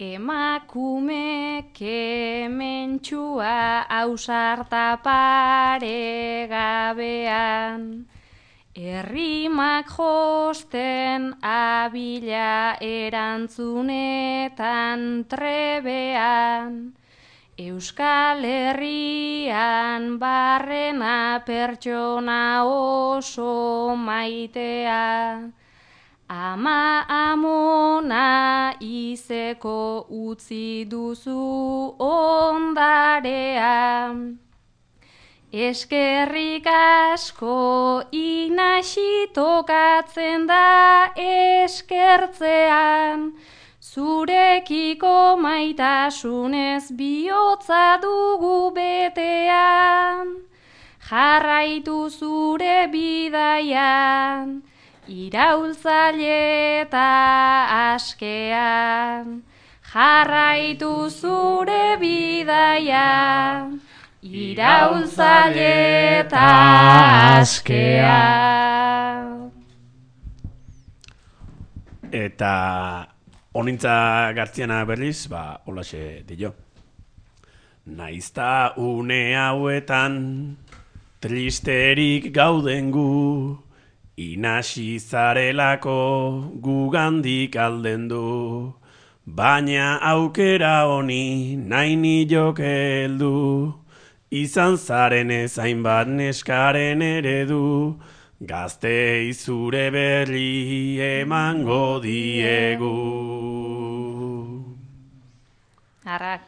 Emakume kementxua ausarta pare gabean, errimak josten abila erantzunetan trebean, Euskal Herrian barrena pertsona oso maitea, ama amona izeko utzi duzu ondarea. Eskerrik asko inasi tokatzen da eskertzean, zurekiko maitasunez bihotza dugu betean. Jarraitu zure bidaian, iraultzaile eta askean. Jarraitu zure bidaian, iraultzaile eta askean. Eta honintza Gartziana berriz, ba, holaxe dio. Naizta une hauetan, tristerik gauden gu, inasi zarelako gugandik alden du, baina aukera honi nahi nilok heldu, izan zaren ezain bat neskaren eredu, gaztei zure berri emango diegu. Arrak.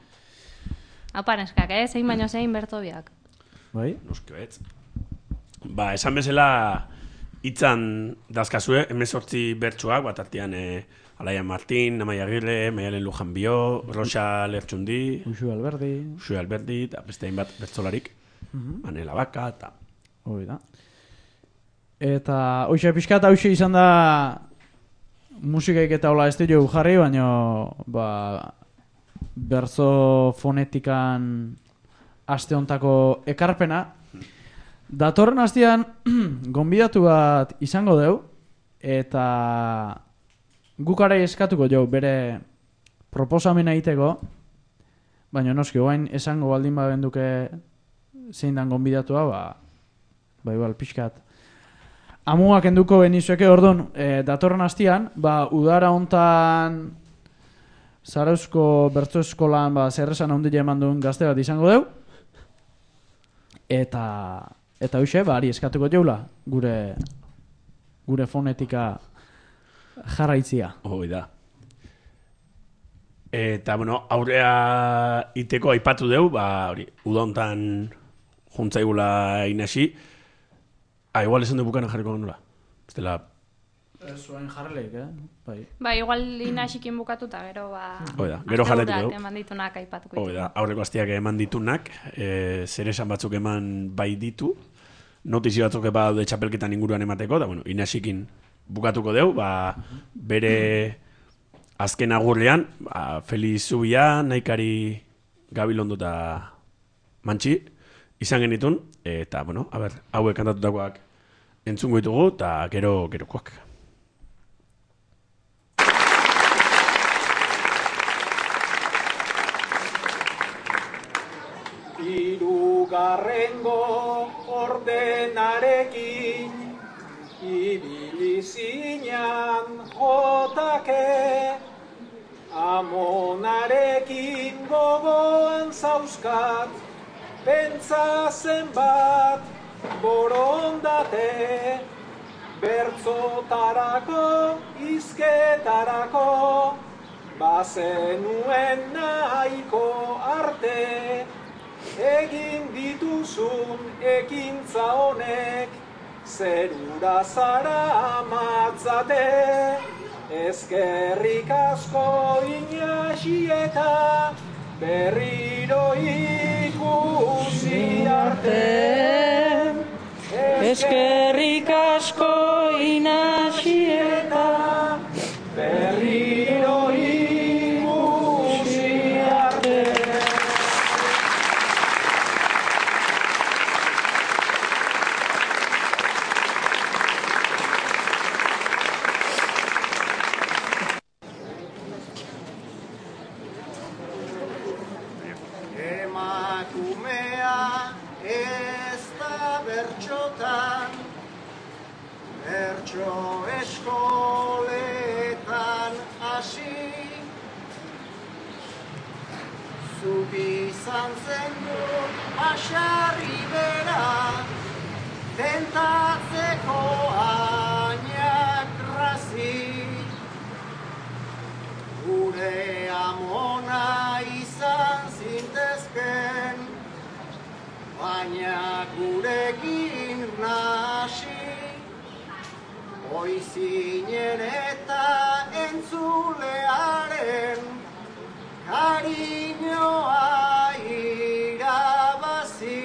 Hau paneskak, eh? Zein baino zein bertobiak. Bai? Nuskibetz. Ba, esan bezala hitzan dazkazue, hemezortzi bertsuak, bat artean eh, Alaia Martin, Amaia Agirre, Maialen Lujan Bio, Rosa Lertxundi, Uxu Alberdi, Uxu Alberdi, eta beste hainbat bertzolarik, Mhm. Manela Baka, eta Hoi da. Eta hoxe pixka eta hoxe izan da musikaik eta hola ez dugu jarri, baina ba, berzo fonetikan aste hontako ekarpena. Datorren astean gonbidatu bat izango deu, eta gukare eskatuko jo bere proposamena egiteko, baina noski, oain esango baldin babenduke zein dan gonbidatua, ba, ba igual pixkat. Amuak enduko benizueke, orduan, e, datorren astean, ba, udara hontan Zarauzko bertso eskolan ba, zerresan handia eman duen gazte bat izango deu, eta eta hoxe, ba, ari eskatuko jaula, gure gure fonetika jarraitzia. Hoi da. Eta, bueno, aurrea iteko aipatu deu, ba, hori, udontan juntzaigula inasi. Ah, igual esan du bukana jarriko nula. Estela... Ez zuen jarreleik, eh? Bai. Ba, igual inasikin bukatuta, gero, ba... Hoi da, gero jarretuko deu. Eman ditunak aipatuko. Hoi da, aurreko astiak eman ditunak, e, zer esan batzuk eman bai ditu, notizio batzuk eba daude txapelketan inguruan emateko, da, bueno, inasikin bukatuko deu, ba, bere azken agurrean, ba, Feliz Zubia, Naikari Gabilondo eta Mantxi, izan genitun, eta, bueno, a ber, hauek kantatutakoak entzungo ditugu, eta gero, gerokoak. Hirugarrengo ordenarekin ibili zinan jotake, Amonarekin gogoan zauzkat, pentsa zenbat borondate, bertzotarako, hizketarako, bazenuen nahiko arte, egin dituzun ekintza honek, zerura zara amatzate, eskerrik asko Inasi eta berriro ikusi arte. Eskerrik asko Inasi eta berriro ikusi arte. Emakumea ez da bertxotan, bertxo eskoletan hasi. Zuk izan zen du basarri bera, tentatzeko ainak razi. Gure amona izan zintezken, baina gurekin nasi. Oizinen eta entzulearen kariñoa irabazi.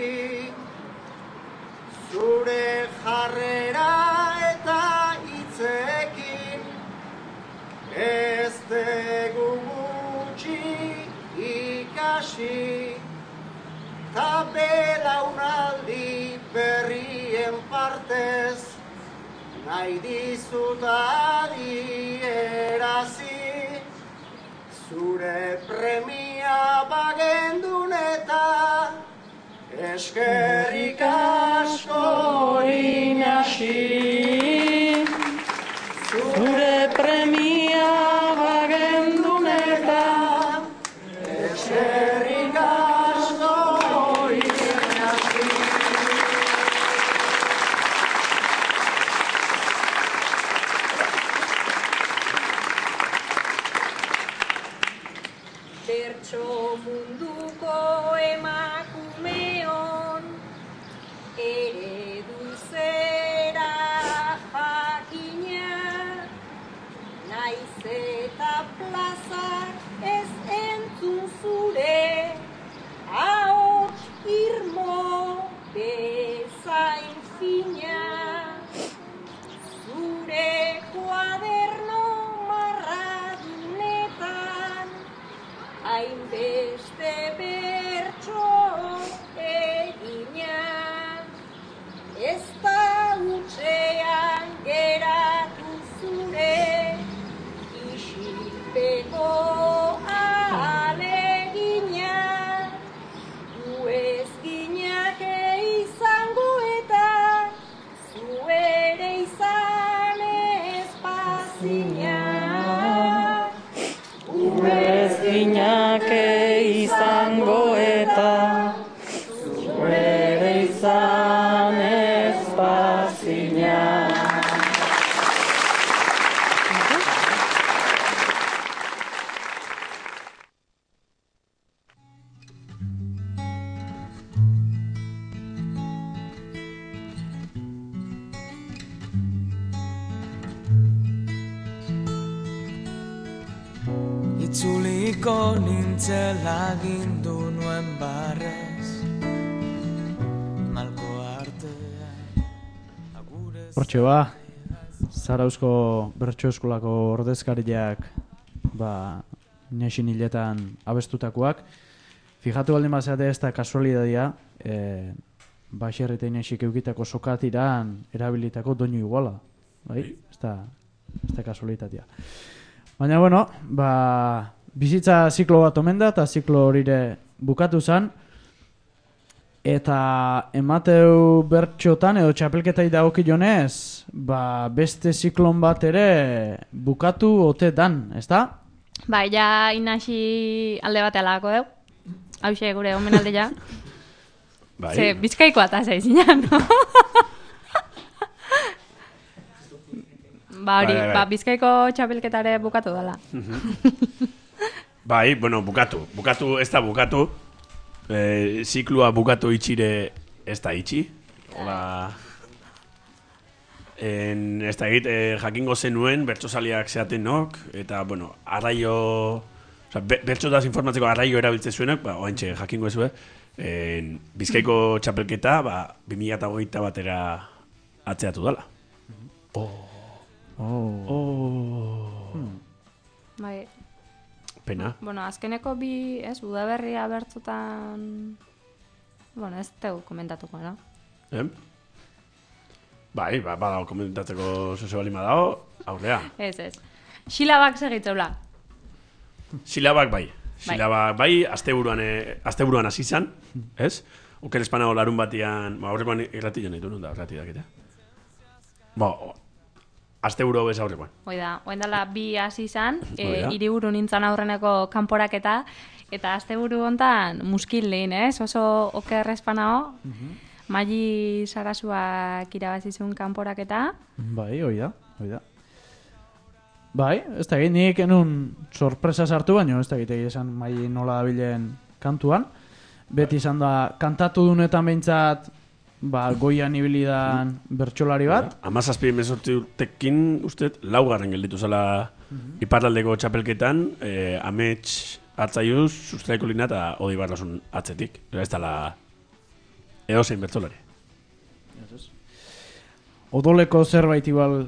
Zure jarrera eta hitzekin ez dugu gutxi ikasi. Ta belaunaldi berrien partez nahi dizut adierazi. Zure premia bagendun eta eskerrik asko Inasi. Zure premia bagendun eta eskerrik asko Inasi. Bertso munduko emakumeon eredu zera jakina, naiz eta plazak ez entzun zure, ahots irmo bezain Eko alegina, gu ez ginake izango eta, zu ere izan ez bazina. Gu ez ginake izango eta, zu ere izan ez bazina. Itzuliko nintzela gindu nuen barrez, malko artean. Hortxe ba, Zarauzko Bertso Eskolako ordezkariak ba, nesin hiletan abestutakoak. Fijatu baldin bazeate ez da kasualidadia, e, Baxer eta Inesik eukitako sokatiran erabilitako doinu iguala. Bai? Ez da, ez da kasualitatea. Baina, bueno, ba, bizitza ziklo bat omen da, eta ziklo horire bukatu zen, eta emateu bertxotan edo txapelketai dagokionez, ba, beste ziklon bat ere bukatu ote dan, ezta? Ba, ja Inasi alde bat alako deu. Hauxe gure omenalde ja. Bai. Ze, bizkaiko atasa izinan, no? Ba, hori, Bai, bai, bai. ba, bizkaiko txapelketare bukatu dela. Bai, bueno, bukatu. Bukatu, ez da bukatu. E, ziklua bukatu itxire ez da itxi. Hola. En, ez da egit, e, jakingo zenuen, bertsozaliak zeaten nok, eta, bueno, arraio... Osa, be, bertsotaz informatzeko arraio erabiltze zuenak, ba, oantxe, jakingo ezue, en, Bizkaiko txapelketa, ba, bi mila hogeita batera atzeatu dela. Oh. Oh. Oh. Hmm. Bai. Pena. Bueno, azkeneko bi, ez, Udaberria bertzotan... Bueno, ez tegu komentatuko, no? Eh? Bai, ba, badago komentatzeko zoze bali madao, aurrea. Ez, ez. Xilabak segitzeula. Silabak bai. Silabak bai, asteburuan eh, asteburuan hasi izan, ez? Oker espanago larun batian, ba aurrekoan irratilla nitu nun da, irrati dakite. Ba, asteburu bez aurrekoan. Hoi da, oen dela bi hasi izan, e, Hoi da. hiriburu nintzen aurreneko kanporaketa, eta asteburu hontan muskil lehen, ez? Oso oker espanao, Maili Sarasuak irabazizun kanporaketa. Bai, hoi da, hoi da. Bai, ez da egin, nik enun sorpresa sartu, baino ez da egite esan Maili nola dabilen kantuan. Beti izan da, kantatu dunetan behintzat, ba, goian ibilidan bertsolari bat. Amazazpi emezortzi urtekin, uste, laugarren gelditu zala iparraldeko txapelketan, eh, amets hartzaiuz, sustraiko lina eta Odi Barrasun atzetik. Ez dala edozein bertsolari. Odoleko zerbait igual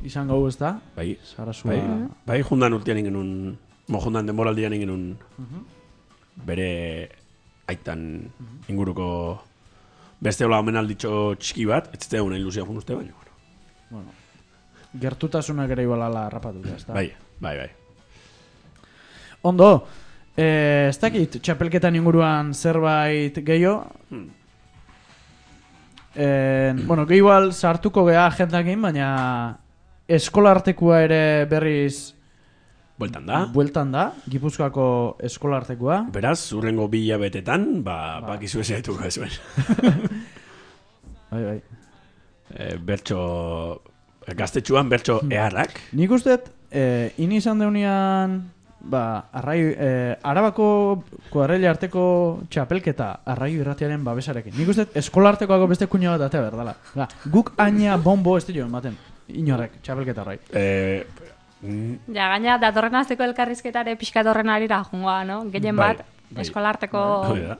izan gau ez da? Bai, Sarasua. bai, bai, jundan urtean ingenun, mo jundan denboraldian ingenun bere aitan inguruko beste hola omenalditxo txiki bat, ez zete una ilusia fun uste baino. Bueno, gertutasunak ere ibalala rapatuta, ez da? Bai, bai, bai. Ondo, eh, ez dakit, txapelketan inguruan zerbait gehiago? Hmm. Eh, bueno, gehi igual sartuko geha agendakin, baina eskolartekua ere berriz Bueltan da. Bueltan da, Gipuzkoako eskolartekua. Beraz, urrengo bi hilabetetan, ba, ba. bakizu ez etuko ez ben. Bai, bai. E, bertso, gaztetxuan bertso eharrak. Nik usteet, eh, ini izan deunian, ba, arrai, eh, Arabako kuadrilla arteko txapelketa arraio irratiaren babesarekin. Nik usteet, eskolartekoako beste kuña bat atea berdala. Ba, guk aina bombo ez dio ematen, inorrek, txapelketa arrai. Eh, Ja, gaina, datorren azteko elkarrizketare pixkat horren arira jungoa, no? Gehien bat, bai, eskolarteko... Bai, da.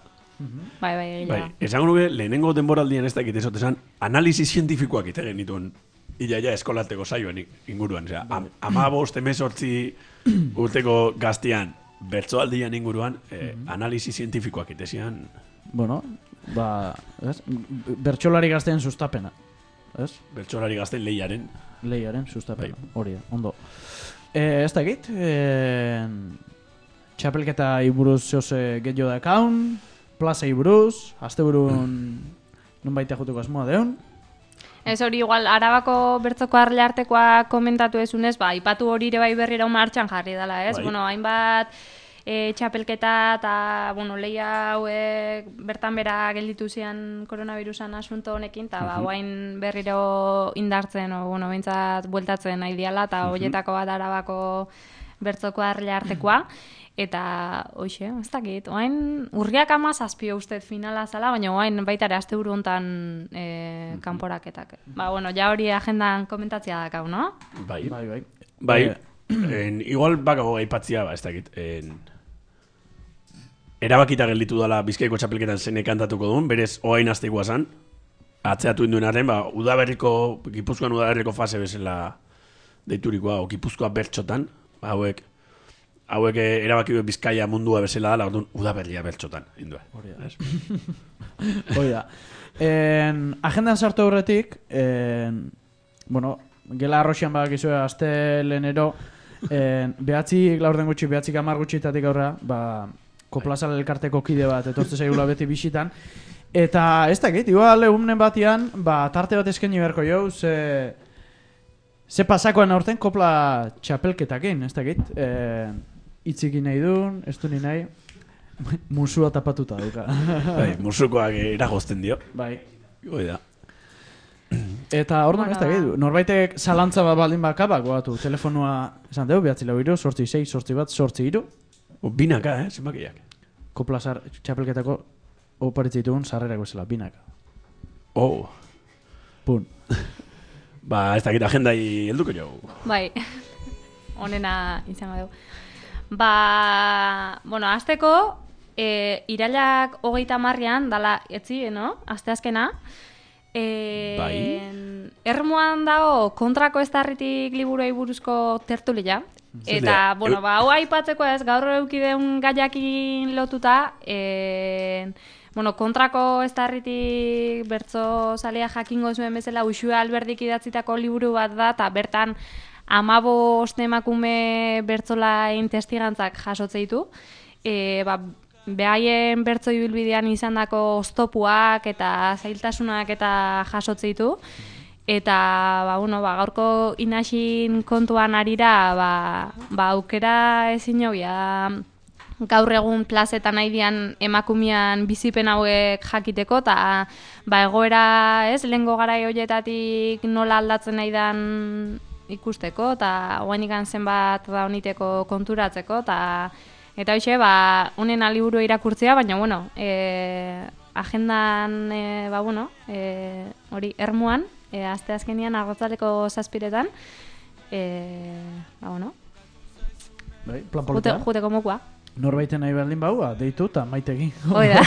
Bai, bai, gila. Bai, esango nuke, lehenengo denboraldian ez dakit ezote esan, analizi zientifikoak ite genituen iaia eskolarteko saioen inguruan. Osea, am, amabost, emezortzi urteko gaztian, bertsoaldian inguruan, eh, analizi zientifikoak ite zian. Bueno, ba, ez? Bertsolari gazteen sustapena. Ez? Bertsolari gazten lehiaren. Lehiaren sustapena, hori da, ondo. E, ez dakit, e, txapelketa iburuz zehose gehiago dakaun, plaza iburuz, azte burun nun baita juteko asmoa deun. Ez hori igual, Arabako bertzoko arleartekoa komentatu ezunez, ba, ipatu hori ere bai berrira martxan jarri dela, ez? Bai. Bueno, hainbat e, txapelketa eta, bueno, lehia hauek bertan bera gelditu zian koronavirusan asunto honekin, eta ba, Mhm. guain berriro indartzen, o, bueno, behintzat bueltatzen nahi diala, eta Mhm. horietako bat Arabako bertzoko arleartekoa. Eta, hoxe, ez dakit, oain urriak ama zazpio ustez finala zala, baina oain baita ere aste buru hontan e, kanporaketak. Ba, bueno, ja hori agendan komentatzea dakau, no? Bai, bai, bai. Bai, en, igual bakago aipatzia, ba, ez dakit, en, erabakita gelditu dela Bizkaiko txapelketan zenek kantatuko duen, berez oain asteikoa zan, atzeatu induenaren, ba, udaberriko, Gipuzkoan udaberriko fase bezala deiturikoa, o Gipuzkoa bertxotan, ba, hauek, hauek eh, erabaki du Bizkaia mundua bezala dela, orduan udaberria bertxotan, indua. Hori da. Hori da. En, agendan sartu aurretik, en, bueno, gela arroxian badakizue aste lehenero, en, behatzi, laurden gutxi, behatzik amar gutxitatik aurra, ba, Koplazal elkarteko kide bat, etortze zaigula beti bisitan, eta ez dakit, igual egunen batian, ba, tarte bat eskaini beharko jau, ze, ze pasakoan aurten kopla txapelketakin, ez dakit, en, itziki nahi duen, ez du ni nahi, musua tapatuta duka. Bai, musukoak eragozten dio. Bai. Hoi da. Eta hor ez dakit, norbaitek zalantza bat baldin baka, bak, goatu, telefonua, esan dugu, behatzi lau iru, sortzi sei, sortzi bat, sortzi iru. Binaka, eh, zenbakiak. Koplazar txapelketako oparitzitugun sarrerak bezala, binaka. Oh. Pun. Ba, ez dakit agendai helduko jo. Bai, honena izango dugu. Ba, bueno, azteko, e, irailak hogeita marrian, dala, etzi, no? Asteazkena. E, Bai. Ermuan dago kontrako eztarritik liburuei buruzko tertulia. Eta, Zendea, bueno, eu- ba, hau aipatzeko ez, gaur eukideun gaiakin lotuta, e, bueno, kontrako eztarritik bertso zalea jakingo zuen bezala Uxue Alberdik idatzitako liburu bat da, eta bertan amabost emakume bertzolain testigantzak jasotze ditu. E, ba, behaien bertso ibilbidean izandako oztopuak eta zailtasunak eta jasotze ditu. Eta, ba, bueno, ba, gaurko inaxin kontuan arira, ba, ba, aukera ezin jobia gaur egun plazetan nahi dian emakumean bizipen hauek jakiteko, eta ba, egoera, ez, lehengo garai horietatik nola aldatzen nahi dan ikusteko, eta oain ikan zenbat da honiteko konturatzeko, eta eta hoxe, ba, honen aliburu irakurtzea, baina, bueno, e, agendan, e, ba, bueno, e, hori, ermuan, e, aste azkenian arrotzaleko zazpiretan, e, ba, bueno, Bai, plan jute, polita. juteko mokua. Norbaiten nahi baldin baua, deitu eta maitegin. Hoi da.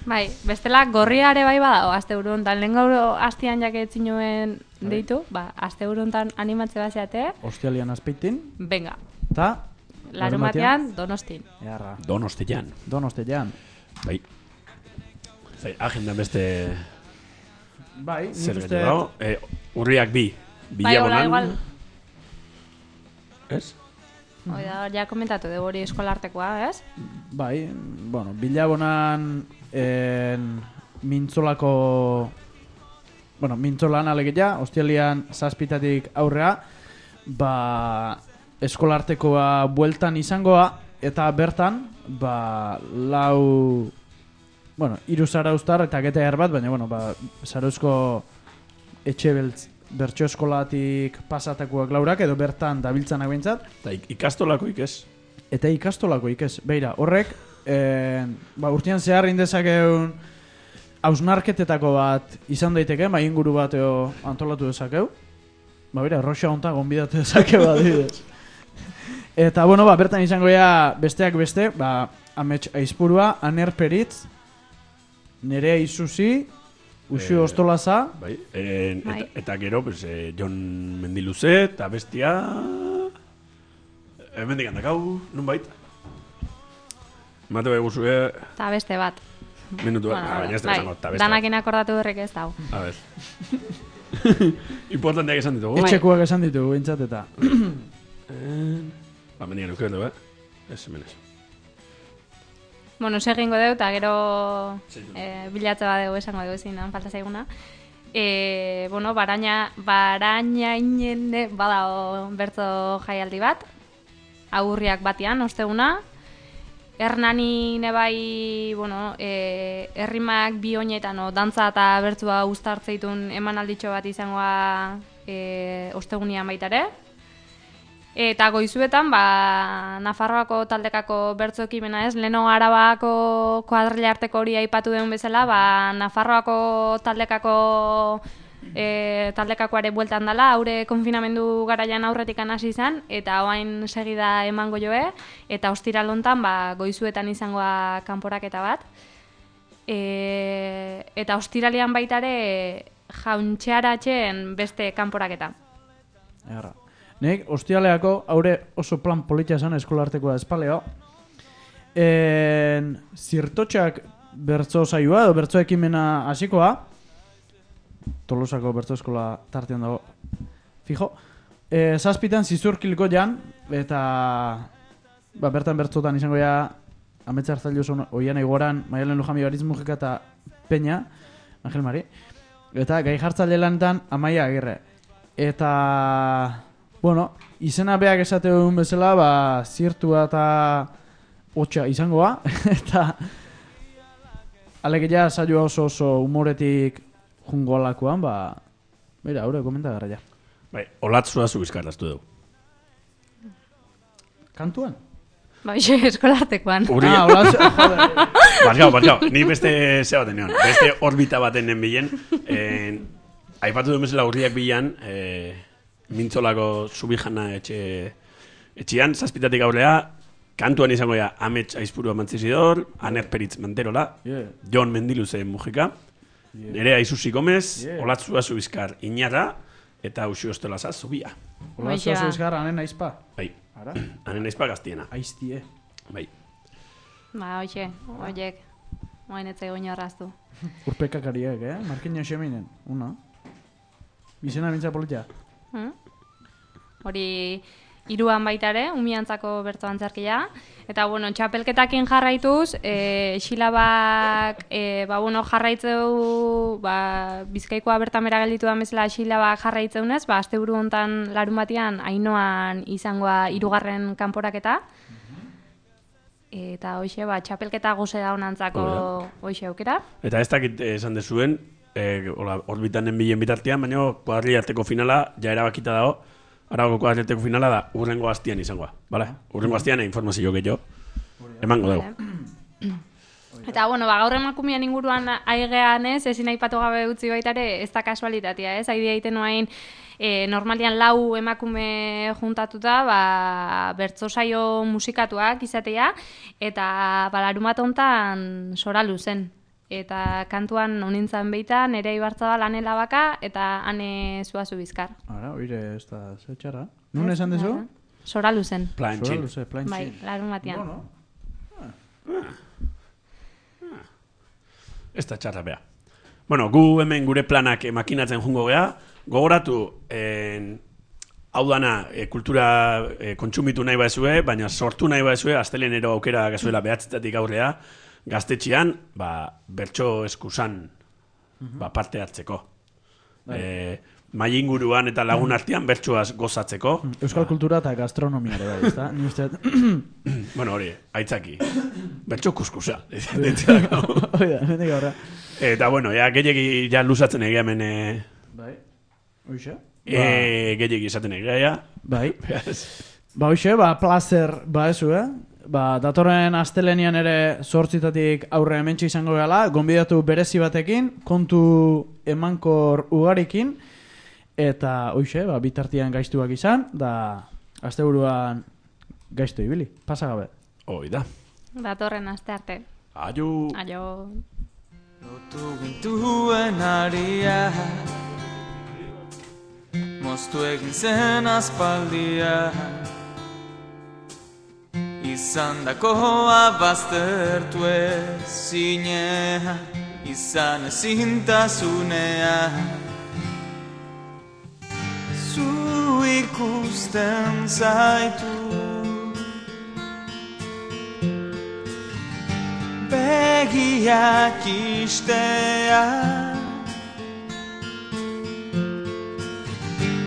Bai, bestela gorriare bai badago aste buru hontan. Lehen gaur astian jaketzin nuen deitu, ba, aste buru hontan animatze bazeate, Ostialian azpeitin. venga, Ta? larumatean Donostin. Earra. Donostian. Donostian. Bai. Zai, agendan beste... Bai, nik zer uste- gehiago dago. Eh, urriak bi. Bai, hola, Bilabonan. igual. Ez? Hoi da, ja komentatu dugu hori eskolartekoa, ez? Bai, bueno, bilabonan en, mintzolako... Bueno, mintzolan alegia, ostialian zazpitatik aurrea, ba, eskolartekoa bueltan izangoa, eta bertan, ba, lau... Bueno, hiru zarauztar eta gete bat, baina, bueno, ba, zarauzko etxe beltz, bertso eskolatik pasatakoak laurak, edo bertan dabiltzanak behintzat. Eta ikastolako ikez. Eta ikastolako ikez. Beira, horrek, eh, ba, urtean zehar indezakeun hausnarketetako bat izan daiteke, ba, inguru bat eo antolatu dezakeu. Ba, beira, roxa honta gonbidatu dezakeu adibidez. Eta, bueno, ba, bertan izango ya besteak beste, ba, Amets Aizpurua, Aner Peritz, Nerea Isuzi, Uxu Eh, Ostolaza. Bai, en, Bai. eta, eta gero, pues, eh, Jon Mendiluze, eta bestia... Hemendik handakau, nun bait? Mate bai guzue... Eta beste bat. Minutu bat, ah, baina ez da bai, esango, eta beste bat. danakin akordatu berrek ez dago. A ver. Importanteak esan ditugu. Etxekuak esan ditugu, bintzat, eta... Ba, mendian eukio du, eh? Ez, hemen ez. Bueno, segingo deu, eta gero e, bilatze badeu esango deu ezin, falta zaiguna. E, bueno, baraina, baraina inene badao bertzo jaialdi bat, aurriak batian, osteguna. Hernani nebai, bueno, e, errimak bi oinetan, o, dantza eta bertzua uztartzeitun emanalditxo bat izangoa e, ostegunian baitare. Eta goizuetan, ba, Nafarroako taldekako bertzo ekimena ez, leno Arabako kuadrilla arteko hori aipatu den bezala, ba, Nafarroako taldekako e, taldekakoare bueltan dela, haure konfinamendu garaian aurretik hasi izan, eta oain segida emango joe, eta ostiral hontan, ba, goizuetan izangoa kanporaketa bat. E, eta ostiralean baitare jauntxearatzen beste kanporaketa. Erra. Nik, ostialeako, haure oso plan politia esan eskolartekoa espaleo. En, zirtotxak bertzo saioa edo bertzo ekimena hasikoa. Tolosako bertzo eskola tartean dago. Fijo. E, zazpitan zizurkiliko jan, eta ba, bertan bertzotan izango ja ametsa hartzailu oian egoran, Maialen Lujami Baritz Mujika eta Peña, Angel Mari. Eta gai jartzaile lanetan Amaia Agirre. Eta... Bueno, izena beak esate duen bezala, ba, zirtua eta hotxa izangoa, eta alegia saioa oso oso humoretik jungo alakoan, ba, bera, haure, komenta gara ja. Bai, olatzua zu bizkarraztu dugu. Kantuan? Ba, xe, eskolartekoan. Uria. Ah, olatzua, joder. Barkau, barkau, ni beste zeba tenean, beste orbita baten nen bilen, eh, aipatu duen bezala urriak bilan, eh, mintzolako zubijana etxe, etxean, zazpitatik aurrea, kantuan izango ja Amets Aizpurua Mantzizidor, Aner Peritz Manterola, yeah. Jon Mendiluze Mujika, yeah. Nerea Isusi Gomez, yeah. Olatzua Zubizkar Iñarra, eta Uxu Ostolaza Zubia. Olatzua Zubizkar Anen Aizpa. Bai, Anen Aizpa gaztiena. Aiztie. Bai. Ba, hoxe, hoiek, moain etzai goño arraztu. Urpekakariak, eh? Markina xeminen, una. Bizena mintza politia. Hmm? Hori hiruan baitare, umiantzako bertzo antzerkia. Eta, bueno, txapelketakin jarraituz, e, xilabak, e, ba, bueno, jarraitzeu, ba, Bizkaikoa bertan bera gelditu da bezala xilabak jarraitzeunez, ba, azte buru hontan larun batian, Ainoan izangoa hirugarren kanporaketa. Eta hoxe, ba, txapelketa goze da honantzako hoxe aukera. Eta ez dakit esan dezuen, eh, orbitanen bilen bitartean, baina kuadrilla arteko finala ja erabakita dago. Aragoko kuadrilla arteko finala da urrengo astian izangoa. Vale? Urrengo astian informazio gehiago emango dugu. Eta, bueno, ba, gaur emakumean inguruan aigean ez, ezin aipatu gabe utzi baitare, ez da kasualitatea, ez? Aidea egiten noain, e, normalian lau emakume juntatuta, ba, bertzo saio musikatuak izatea, eta ba, larumat hontan soralu zen. Eta kantuan honintzan beita, nere ibartza da lanela baka, eta ane Zuazu Bizkar. Ara, oire, ez da zetxara. Nun esan dezu? Soralu zen. Plantxin. Soralu zen, plantxin. Bai, larun batian. Bueno. Ez da txarra beha. Bueno, gu hemen gure planak makinatzen jungo geha, gogoratu, en, hau dana, e, kultura e, kontsumitu nahi baezue, baina sortu nahi baezue, astelenero aukera gazuela behatzetatik aurrea, gaztetxean, ba, bertso eskusan, ba, parte hartzeko. E, mai inguruan eta lagun artean bertsoaz gozatzeko. Euskal kultura eta gastronomia ere bai, ezta? Ni uste bueno, hori, aitzaki. Bertso kuskusa. Oida, nendik aurra. Eta, bueno, ja, gehiagi ja luzatzen egia hemen... E, bai, oixe? E, gehiagi izaten egia, ja. Bai. Ba, oixe, ba, placer, ba, ezu, eh? Ba, datorren astelenian ere zortzitatik aurre hementxe izango gala, gonbidatu berezi batekin, kontu emankor ugarikin, eta hoixe, ba, bitartian gaiztuak izan, da asteburuan gaiztu ibili, pasa gabe. Hoi da. Datorren aste arte. Aio. Aio. Lotu gintuen aria, moztu egin zen aspaldia, izan dakoa baztertu ezinea, izan ezintasunea. Zu ikusten zaitu begiak istea